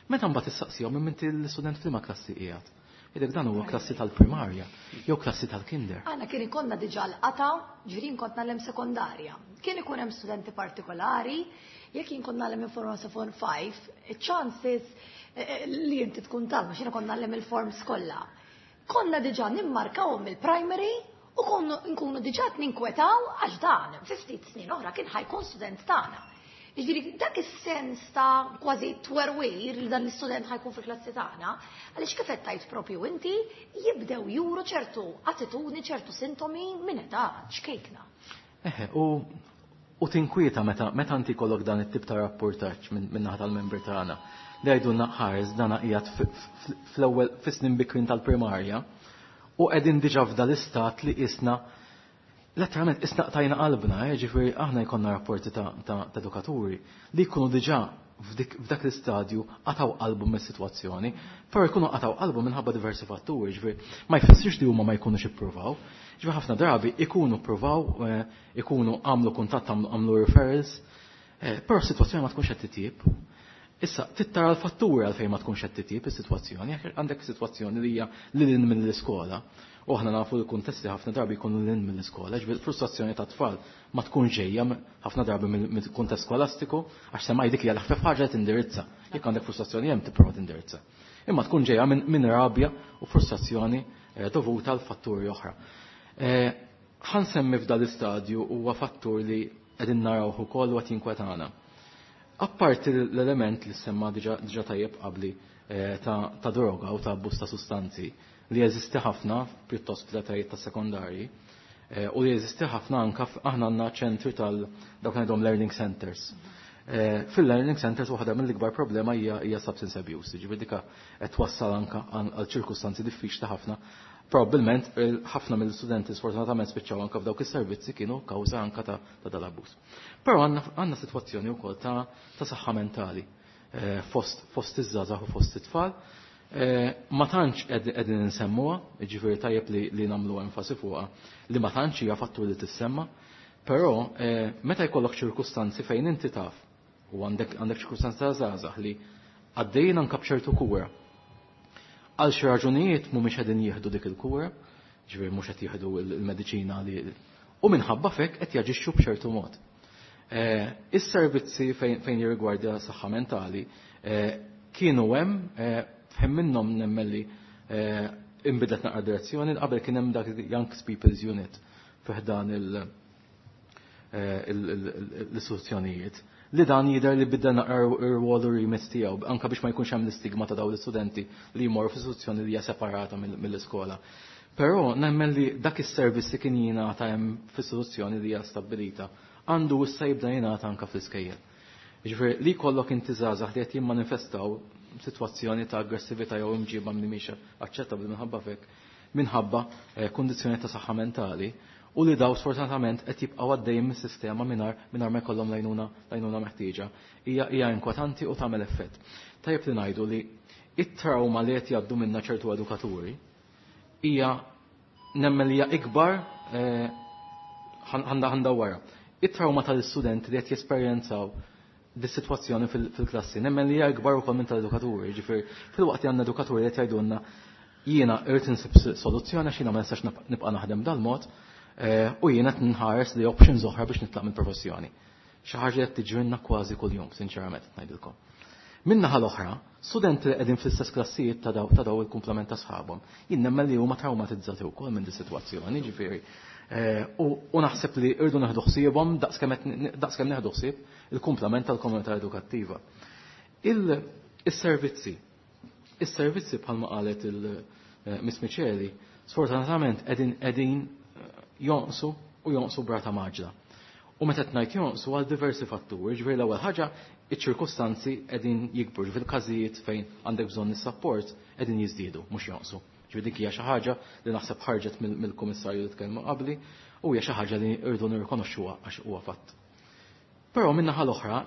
Meta mbagħad issaqsihom minn inti l-student f'liema klassi qiegħed, jgħidlek dan huwa klassi tal-primarja jew klassi tal-kinder. Għana kien ikonna diġà l-qata, ġirin kont ngħallem sekondarja. Kien ikun hemm studenti partikolari, jekk jien kont ngħallem minn form sa form five, chances eh, li inti tkun talma, xina kont ngħallem il-forms kollha. Konna diġà nimmarkawhom il-primary u konna nkunu diġà ninkwetaw għax dan fi ftit snin oħra kien ħa jkun student tagħna. Jiġifieri dak is-sens ta' kważi twerwir li dan l-istudent ħa jkun fil-klassi tagħna, għaliex kif qed tgħid propju inti, jibdew juru ċertu attitudni, ċertu sintomi minn età ċkejkna. Eħe, u U tinkwieta meta meta inti jkollok dan it-tip ta' rapportaġġ minn naħa tal-membri tagħna li jgħidulna ħares dana qiegħed fl-ewwel fis-snin bikrin tal-primarja u qegħdin diġà f'dal-istat li qisna letteralment isna qtajna qalbna, ġifieri aħna jkollna rapporti ta' edukaturi li jkunu diġà f'dak l-istadju qataw qalbu mis-sitwazzjoni, però jkunu qataw qalbu minħabba diversi fatturi, ġifieri ma jfissirx li huma ma jkunux ippruvaw. Ġifieri ħafna drabi ikunu ppruvaw, ikunu għamlu kuntatt, għamlu referrals, però s-sitwazzjoni ma tkunx qed titjieb. Issa, tittara l-fatturi għalfejn ma tkunx qed titjieb is-sitwazzjoni, jekk għandek sitwazzjoni li hija lil hinn mill-iskola, u aħna nafu l-kuntesti ħafna drabi jkunu lil hinn mill-iskola, ġifieri frustrazzjoni ta' tfal ma tkun ġejja ħafna drabi mill-kuntest skolastiku, għax semmaj dik hija l-ħfef ħaġa tindirizza. Jekk għandek frustrazzjoni hemm tipprova tindirizza. Imma tkun ġejja minn rabja u frustrazzjoni dovuta għal fatturi oħra. Ħa nsemmi f'dan l-istadju huwa fattur li qegħdin narawh ukoll u qed jinkwetana. Apparti l-element li semma diġà tajjeb qabli ta' droga u ta' abbuż ta' sustanzi li jeżisti ħafna pjuttost fl-etajiet ta' sekondarji u li jeżisti ħafna anka aħna għandna ċentri tal dawk ngħidhom learning centers. Fil-learning centers waħda mill-ikbar problema hija hija substance abuse, jiġifieri dika qed twassal anka għal ċirkustanzi diffiċli ħafna. Probabbilment ħafna mill-studenti sfortunatament spiċċaw anka f'dawk is-servizzi kienu kawża anka ta' dal-abbuż. Però għandna sitwazzjoni wkoll ta' saħħa mentali fost fost iż-żgħażagħ u fost it-tfal. Ma tantx qegħdin insemmuha, jiġifieri tajjeb li nagħmlu enfasi fuqha li ma tantx hija fattur li tissemma, però meta jkollok ċirkustanzi fejn inti taf u għandek għandek ċirkustanzi ta' żgħażagħ li għaddejjin anke b'ċertu kura. Għal xi raġunijiet mhumiex qegħdin jieħdu dik il-kura, ġifieri mhux qed jieħdu l-mediċina li u minħabba fek qed jaġixxu b'ċertu mod. Is-servizzi fejn jirrigwardja saħħa mentali kienu hemm, f'hemm minnhom nemmen li inbidlet naqra direzzjoni, qabel kien hemm dak Young People's Unit fi ħdan l-istituzzjonijiet li dan jidher li bidda naqra r-rwol u remit tiegħu anke biex ma jkunx hemm l-istigma ta' dawn l-istudenti li jmorru f'istituzzjoni li hija separata mill-iskola. Però nemmen li dak is-servizz li kien jingħata hemm f'istituzzjoni li hija stabbilita għandu issa jibda jingħata anke fl-iskejjel. Jiġifieri li jkollok inti żgħażagħ li qed jimmanifestaw sitwazzjoni ta' aggressività jew imġiba li mhix aċċettabbli minħabba fek minħabba kundizzjoni ta' saħħa mentali u li daw sfortunatament qed jibqgħu għaddejjin mis-sistema mingħajr mingħajr ma jkollhom lajnuna lajnuna meħtieġa. Hija hija inkwetanti u tagħmel effett. Tajjeb li ngħidu li it-trauma li qed jgħaddu minnha ċertu edukaturi hija nemmen li hija ikbar għandha għandha wara. It-trauma tal-istudenti li qed jesperjenzaw dis-sitwazzjoni fil-klassi nemmen li hija ikbar ukoll minn tal-edukaturi, ġifieri filwaqt li għandna edukaturi li qed jgħidulna jiena irrid insib soluzzjoni għax jiena ma nistax nibqa' naħdem dal-mod u jiena qed nħares li options oħra biex nitlaq mill-professjoni. Xi ħaġa li qed tiġrilna kważi kuljum, sinċerament qed ngħidilkom. Min-naħa l-oħra, studenti li qegħdin fl-istess klassijiet ta' daw ta' daw il-kumplament ta' sħabhom, jien nemmen li huma traumatizzati wkoll minn dis-sitwazzjoni, ġifieri u naħseb li rridu neħdu ħsiebhom daqskemm neħdu ħsieb il-kumplament tal-komunità edukattiva. Is-servizzi, is-servizzi bħalma qalet il-Miss Micheli, sfortunatament qegħdin qegħdin jonqsu u jonqsu brata maġla. U meta qed ngħid jonqsu għal diversi fatturi, ġifieri l-ewwel ħaġa iċ-ċirkustanzi qegħdin jikbru, ġifieri każijiet fejn għandek bżonn is-sapport qegħdin jiżdiedu, mhux jonqsu. Ġifieri dik hija xi ħaġa li naħseb ħarġet mill-kummissarju li tkellmu qabli u hija xi ħaġa li rridu nirrikonoxxuha għax huwa fatt. Però min-naħa l-oħra,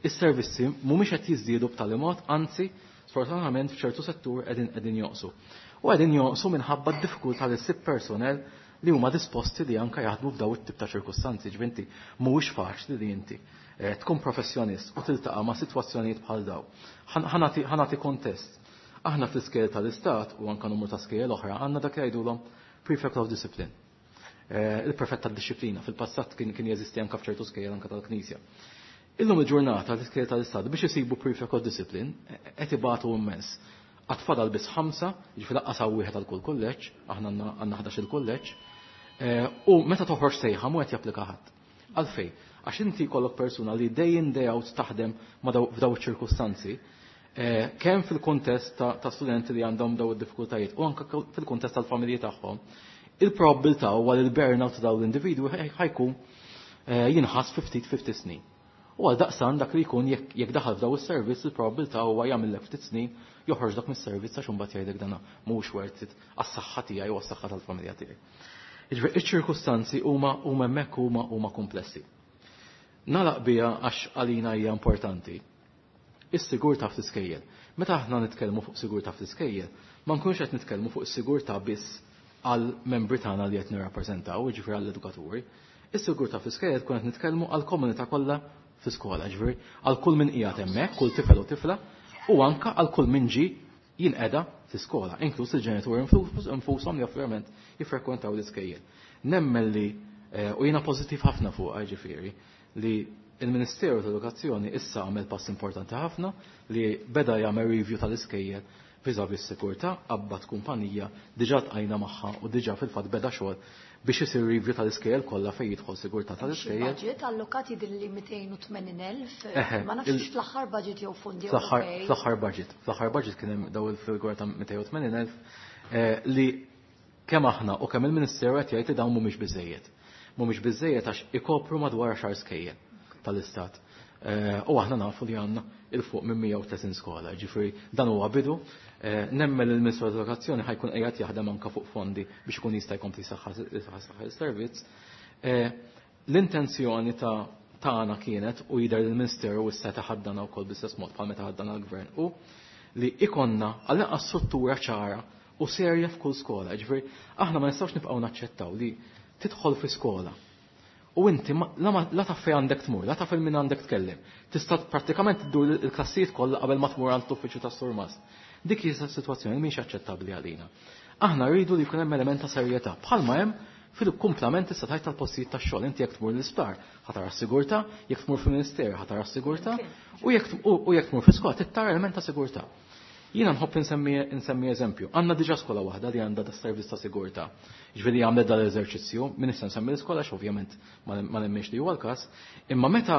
is-servizzi mhumiex qed jiżdiedu b'tali mod, anzi, sfortunatament f'ċertu settur qegħdin qegħdin jonqsu. U qegħdin jonqsu minħabba d-diffikultà li ssib personnel li huma disposti li anke jaħdmu f'daw it-tip ta' ċirkustanzi, ġifieri inti mhuwiex faċli li inti tkun professjonist u tiltaqa' ma' sitwazzjonijiet bħal daw. Ħa nagħti kontest. Aħna fl-iskejjel tal-Istat u anke numru ta' skejjel oħra għandna dak li jgħidulhom prefect of discipline. Il-prefett tad-disciplina fil-passat kien kien jeżisti anke f'ċertu skejjel anke tal-Knisja. Illum il-ġurnata l-iskejjel tal-Istat biex isibu prefect of discipline qed ibatu immens. Għad fadal biss ħamsa, jiġifieri lanqas hawn wieħed għal kull kulleġġ, aħna għandna ħdax il-kulleġġ, u meta toħroġ sejħa mhu qed japplika ħadd. Għalfejn? Għax inti jkollok persuna li day in day out taħdem ma f'daw iċ-ċirkustanzi, kemm fil-kuntest ta' studenti li għandhom daw id-diffikultajiet u anke fil-kuntest tal-familji tagħhom, il-probabilità huwa li l-burnout ta' dawn l-individwi ħajkun jinħass fi ftit fi ftit snin. U għal daqsan dak li jkun jekk daħal f'daw is-servizz il-probabilità huwa jagħmillek ftit snin joħroġ dak mis-servizz għax imbagħad jgħidlek dana mhuwiex worth it għas-saħħa tiegħi u għas-saħħa tal-familja tiegħi. Jiġifieri iċ-ċirkustanzi huma huma hemmhekk huma huma komplessi. Nagħlaq biha għax għalina hija importanti. Is-sigurtà fl-iskejjel. Meta aħna nitkellmu fuq sigurtà fl-iskejjel, ma nkunx qed nitkellmu fuq is-sigurtà biss għal membri tagħna li qed nirrappreżentaw, jiġifieri għall-edukaturi. Is-sigurtà fl-iskejjel tkun qed nitkellmu għall-komunità kollha fl-iskola, ġifieri għal kull min qiegħed hemmhekk, kull tifel u tifla, u anka għal kull min ġie jinqeda fl-iskola, inkluż il-ġenituri infushom li ovvjament jiffrekwentaw l-iskejjel. Nemmen li u jiena pożittiv ħafna fuqha, ġifieri, li il-Ministeru tal-Edukazzjoni issa għamel pass importanti ħafna li beda jagħmel review tal-iskejjel vis-à-vis s-sigurtà, qabbat kumpanija, diġà tqajna magħha u diġà fil-fatt beda xogħol biex isir review tal-iskejjel kollha fejn jidħol sigurtà tal-iskejjel. Budget allokati dilli mitejn u tmenin elf, ma nafx fl-aħħar budget jew fondi Ewropej. Fl-aħħar budget, fl-aħħar budget kien hemm daw il-figura ta' mitejn u tmenin elf li kemm aħna u kemm il-Ministeru qed jgħid li dawn mhumiex biżejjed. Mhumiex biżejjed għax ikopru madwar għaxar skejjel tal-istat. U aħna nafu li għandna il fuq minn mija u tletin skola, ġifieri dan huwa bidu. Nemmen il-Ministru tal-Edukazzjoni ħajkun qiegħed jaħdem anke fuq fondi biex ikun jista' jkompli saħħa is-servizz. L-intenzjoni ta' tagħna kienet u jidher il-Ministeru issa taħaddana wkoll bl-istess mod bħal meta ħaddana l-Gvern u li ikonna għall-inqas struttura ċara u serja f'kull skola. Ġifieri aħna ma nistgħux nibqgħu naċċettaw li tidħol fi skola u inti la taf fejn għandek tmur, la taf min għandek tkellem. Tista' prattikament iddur il-klassijiet kollha qabel ma tmur għand l-uffiċċju tas-surmast. Dik hija sitwazzjoni mhix aċċettabbli għalina. Aħna rridu li jkun hemm element ta' serjetà bħalma hemm fil-kumplament issa tajt tal-postijiet tax-xogħol. Inti jekk tmur l-isptar ħa tara s-sigurtà, jekk tmur fil-ministeru ħa tara s-sigurtà, u jekk tmur fl-iskola tittara element ta' sigurtà. Jiena nħobb insemmi, insemmi eżempju. Għandna diġà skola waħda li għandha da servizz ta' sigurtà. Ġifieri għamlet dal-eżerċizzju, min issa nsemmi l-iskola għax ovvjament ma nemminx li huwa l-każ, imma meta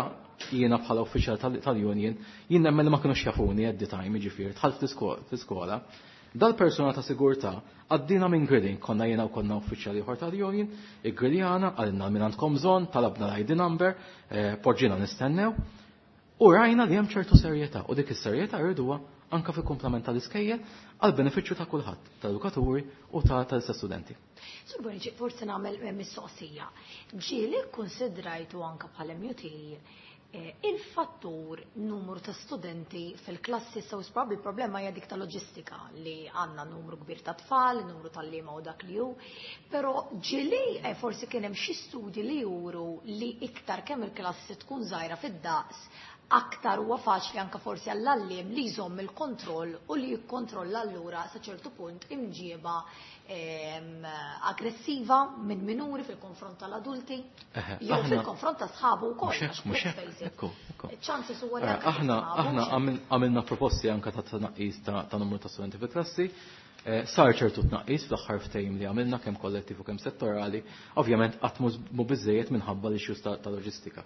jiena bħala uffiċjal tal-union, jien nemmen li ma kinux jafuni at the time, jiġifieri dħalt fl-iskola, dal-persuna ta' sigurtà għaddina minn grilling, konna jiena u konna uffiċjali ieħor tal-union, iggrilljana, għalina minn għandkom bżonn, talabna l-I D number, poġġina nistennew, u rajna li hemm ċertu serjetà, u dik is-serjetà rriduha anka fil-komplement tal-iskejjel għal benefiċċju ta' kulħadd, tal-edukaturi u ta' tal-istess studenti. Sur Bonnici, forsi nagħmel mistoqsija. Ġieli kkunsidrajtu anka bħala M U T il-fattur numru ta' studenti fil-klassi sew probabbli il-problema hija dik ta' loġistika li għandna numru kbir ta' tfal, numru tal-liema u dak li hu, però ġieli forsi kien hemm xi studji li juru li iktar kemm il-klassi tkun żgħira fid-daqs aktar huwa faċli anka forsi għall-għalliem li jżomm il-kontroll u li jikkontrolla allura sa ċertu punt imġieba aggressiva minn minuri fil-konfront tal-adulti jew fil-konfront ta' sħabu wkoll. Mhux hekk, ekku, ekku. Ċansi huwa li anke Aħna, sħabu, aħna mhux hekk. għamil-, għamilna proposti anka ta' tnaqqis ta', ta' numru ta' studenti fil-klassi. Sar ċertu tnaqqis fl-aħħar ftehim li għamilna kemm kollettiv u kemm settorali, ovvjament qatt mhu biżejjed minħabba l-issues ta', ta' loġistika.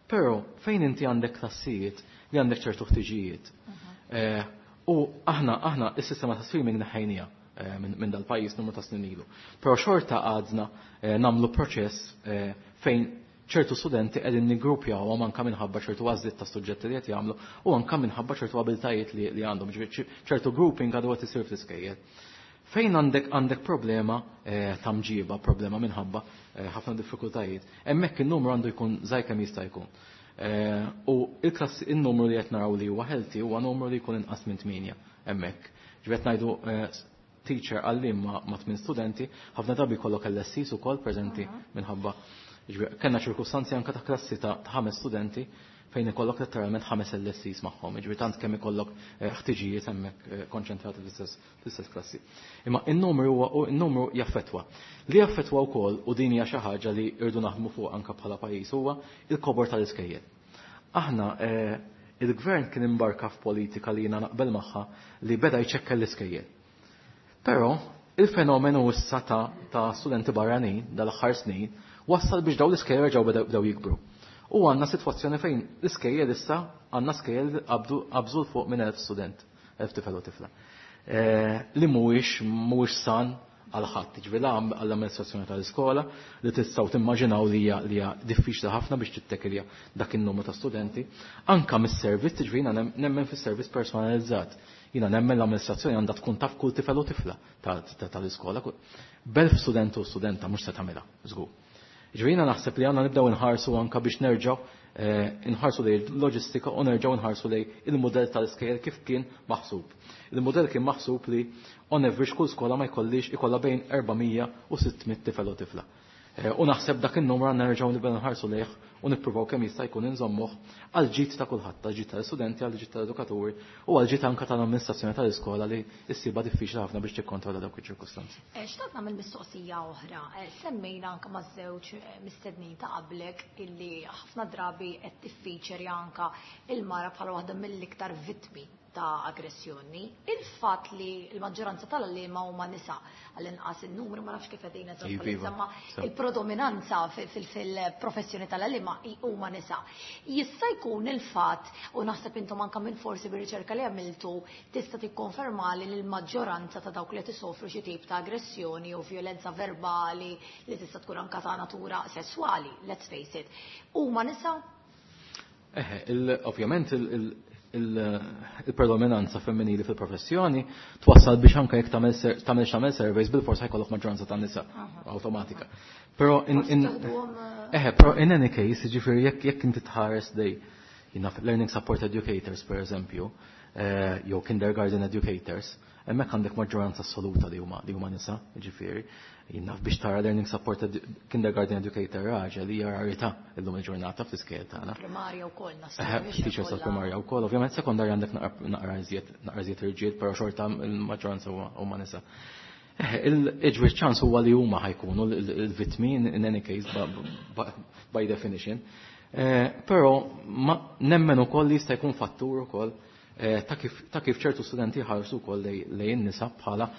Però fejn inti għandek klassijiet li għandek ċertu ħtiġijiet. U aħna, aħna is-sistema ta' streaming neħħejnija minn, minn dal-pajjiż numru ta' snin ilu. Però xorta għadna nagħmlu proċess fejn ċertu studenti qegħdin niggrupjawhom anke minħabba ċertu għażliet ta' suġġetti li qed jagħmlu u anke minħabba ċertu abiltajiet li, li għandhom, ġifieri ċertu grouping għadu qed isir fl-iskejjel. Fejn għandek, għandek problema ta' mġiba, problema minħabba ħafna diffikultajiet, hemmhekk in-numru għandu jkun żgħir kemm jista' jkun. U il-klassi, in-numru li qed naraw li huwa healthy huwa numru li jkun inqas minn tmienja hemmhekk. Ġifieri qed ngħidu teacher għallim ma, ma' tmien studenti, ħafna drabi jkollok L S Cs ukoll preżenti minħabba. Ġifieri kellna ċirkustanzi anke ta' klassi ta' ħames studenti fejn ikollok letteralment ħames L S Cs magħhom, jiġifieri tant kemm ikollok ħtiġijiet hemmhekk konċentrati fl-istess, fl-istess klassi. Imma n-numru huwa, u n-numru jaffettwa. Li jaffettwa wkoll, u din hija xi ħaġa li rridu naħdmu fuq anke bħala pajjiż, huwa il-kobor tal-iskejjel. Aħna il-gvern kien imbarka f'politika li jiena naqbel magħha li beda jċekkel l-iskejjel. Però il-fenomenu issa ta', ta' studenti barranin dal-aħħar snin wassal biex dawn l-iskejjel reġgħu bdew, bdew jikbru. U għandna sitwazzjoni fejn l-iskejjel issa għandna skejjel qabdu, qabżu l fuq minn elf student, elf tifel u tifla. Li mhuwiex, mhuwiex san għal ħadd, jiġifieri la għall-amministrazzjoni tal-iskola li tistgħu timmaġinaw li hija li hija diffiċli ħafna biex tittekilja dak in-numru ta' studenti, anka mis-servizz, jiġifieri jiena nemmen fis-servizz personalizzat. Jiena nemmen l-amministrazzjoni għandha tkun taf kull tifel u tifla tal-iskola. B'elf student u studenta mhux se tagħmilha, żgur. Jiġifieri jiena naħseb li għandna nibdew inħarsu anka biex nerġgħu inħarsu lejn loġistika u nerġgħu nħarsu lejn il-mudell tal-iskejjel kif kien maħsub. Il-mudell kien maħsub li on average kull skola ma jkollix ikollha bejn erba' mija u sitt mitt tifel u tifla. U naħseb dak in-numru għandna nerġgħu nibdew nħarsu lejh u nippruvaw kemm jista' jkun inżommuh għal ġid ta' kulħadd, għal ġid tal-istudenti, għal ġid tal-edukaturi u għal ġid anka tal-amministrazzjoni tal-iskola li ssibha diffiċli ħafna biex tikkontrolla dawk iċ-ċirkustanzi. Xtaqt nagħmel mistoqsija oħra. Semmejna anka maż-żewġ mistednin ta' qablek illi ħafna drabi qed tiffiċeri anka il-mara bħala waħda mill-iktar vittmi ta' aggressjoni. Il-fatt li l-maġġoranza tal-għalliema huma nisa, għall-inqas il-numru, ma nafx kif qegħdin eżatt, il-predominanza fil-professjoni tal-għalliema huma nisa. Jista' jkun il-fatt, u naħseb intom anka minn forsi bir-riċerka li għamiltu tista' tikkonferma li l-maġġoranza ta' dawk li qed isofru xi tip ta' aggressjoni u vjolenza verbali li tista' tkun anka ta' natura sesswali, let's face it, huma nisa? Eħe, ovvjament il-predominanza femminili fil-professjoni twassal biex anke jekk tagħmel x'tagħmel surveys, bil-forsa jkollok maġġoranza ta' nisa awtomatika. Però in eħe, però in any case, jiġifieri jekk jekk inti tħares lejn learning support educators, per eżempju, jew kindergarten educators, hemmhekk għandek maġġoranza assoluta li huma li huma nisa, jiġifieri. Jinnaf biex tara learning support kindergarten educator raġel hija rarità illum il-ġurnata fl-iskejjel tagħna. Primarja wkoll. Teachers tal-primarja wkoll, ovvjament sekondarja għandek naqra iżjed naqra iżjed irġiel, però xorta il-maġġoranza huma nisa. Il-ġwir ċans huwa li huma ħa jkunu l-vittmi in any case, by definition. Però nemmen ukoll li jista' jkun fattur ukoll ta' kif ċertu studenti ħarsu wkoll lejn nisa bħala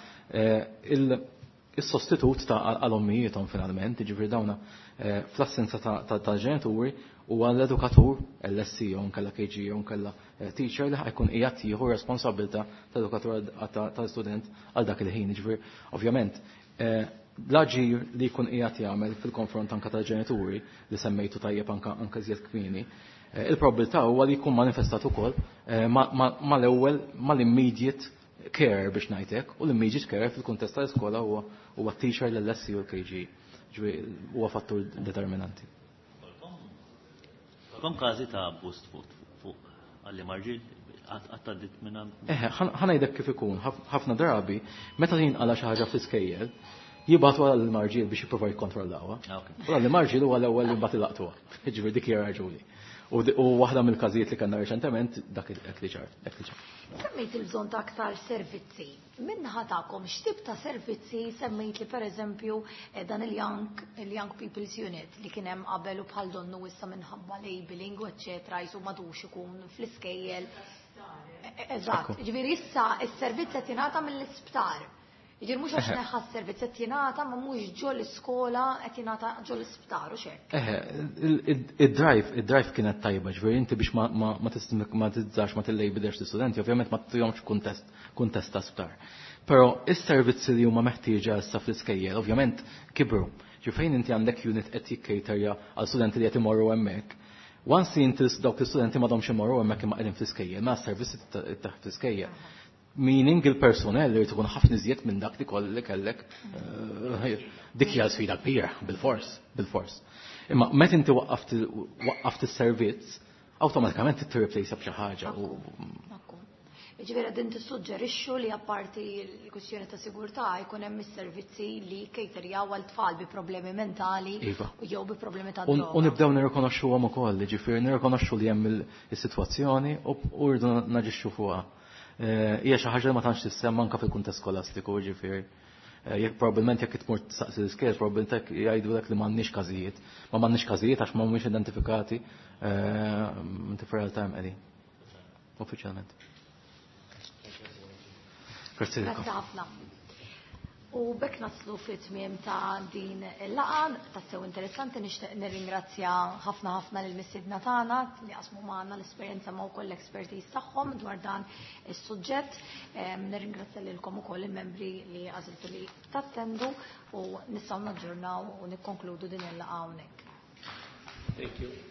il-sostitut ta' għal-ommijiethom finalment, jiġifieri dawna fl-assenza ta' ġenituri u għall-edukatur L S E jew nkella K G jew nkella teacher li ħa jkun qiegħed jieħu responsabilità ta' edukatur tal-student għal dak il-ħin. Jiġifieri ovvjament l-aġir li jkun qiegħed jagħmel fil-konfront anka tal-ġenituri li semmejtu tajjeb anka anka iżjed kmieni, il-probabilità huwa li jkun manifestat ukoll mal-ewwel mal-immediate care, biex ngħidlek, u l-immediate care fil-kuntest tal-iskola huwa huwa teacher, l-L S E u l-K G. Huwa fattur determinanti. Kom każi ta' abbuż fuq fuq għalliema rġiel għaddit minn? Eħe, ħa ngħidlek kif ikun, ħafna drabi, meta jinqala xi ħaġa fl-iskejjel, jibagħtu għall-għalliema rġiel biex jippruvaw jikkontrollawha. U l-għalliema rġiel huwa l-ewwel li mbagħad ilaqtuha. Jiġifieri dik hija raġuni. U waħda mill-każijiet li kellna reċentement dak li ġar, dak li ġar. Semmejt il-bżonn ta' aktar servizzi. Min-naħa tagħkom, x'tip ta' servizzi? Semmejt li pereżempju dan il-Young il-Young People's Unit li kien hemm qabel u bħal donnu issa minħabba labeling u eċċetera jisu m'għadux ikun fl-iskejjel. Eżatt, ġifieri issa s-servizz qed jingħata mill-isptar. Jiġifieri mhux għax neħħa s-servizz qed jingħata, ma mhux ġo l-iskola, qed jingħata ġo l-isptar u xejn. Eħe, id-drive, id-drive kienet tajba, ġifieri inti biex ma tistigmatizzax, ma tillabelx l-istudenti, ovvjament ma tihomx kuntest kuntest ta' sptar. Però is-servizzi li huma meħtieġa issa fl-iskejjel ovvjament kibru. Ġifieri inti għandek unit qed jikkejterja għal studenti li qed imorru hemmhekk. Once inti dawk l-istudenti m'għadhomx imorru hemmhekk imma qegħdin fl-iskejjel, ma s-servizzi taħt fl-iskejjel. Meaning il-personnel li tkun ħafna iżjed minn dak li kolli kellek. Dik hija sfida kbira, bil-fors, bil-fors. Imma meta inti waqqaft is-servizz, awtomatikament tirreplace b'xi ħaġa. Ġifieri din tissuġġerixxu li apparti l-kwistjoni ta' sigurtà jkun hemm is-servizzi li kejterjaw għal tfal bi problemi mentali Iva. jew bi problemi ta' U droga. U nibdew nirrikonoxxuhom ukoll, ġifieri nirrikonoxxu li hemm is-sitwazzjoni u rridu naġixxu fuqha. Hija xi ħaġa li ma tantx tissemma anke fil-kuntest skolastiku, ġifieri. Jekk probabbilment jekk tmur tistaqsi l-iskejjel, probabbilment jgħidulek li m'għandniex każijiet. Ma m'għandniex każijiet għax ma mhumiex identifikati, inti fir-realtà hemm qegħdin. Uffiċjalment. Grazzi. Grazzi ħafna. U b'hekk naslu fit-tmiem ta' din il-laqgħa, tassew interessanti. Nixtieq nirringrazzja ħafna ħafna lil mistiedna tagħna li qasmu magħna l-esperjenza ma' wkoll l-expertise tagħhom dwar dan is-suġġett. Nirringrazzja lilkom ukoll il-membri li għażiltu li tattendu u nistgħu naġġornaw u nikkonkludu din il-laqgħa hawnhekk. Thank you.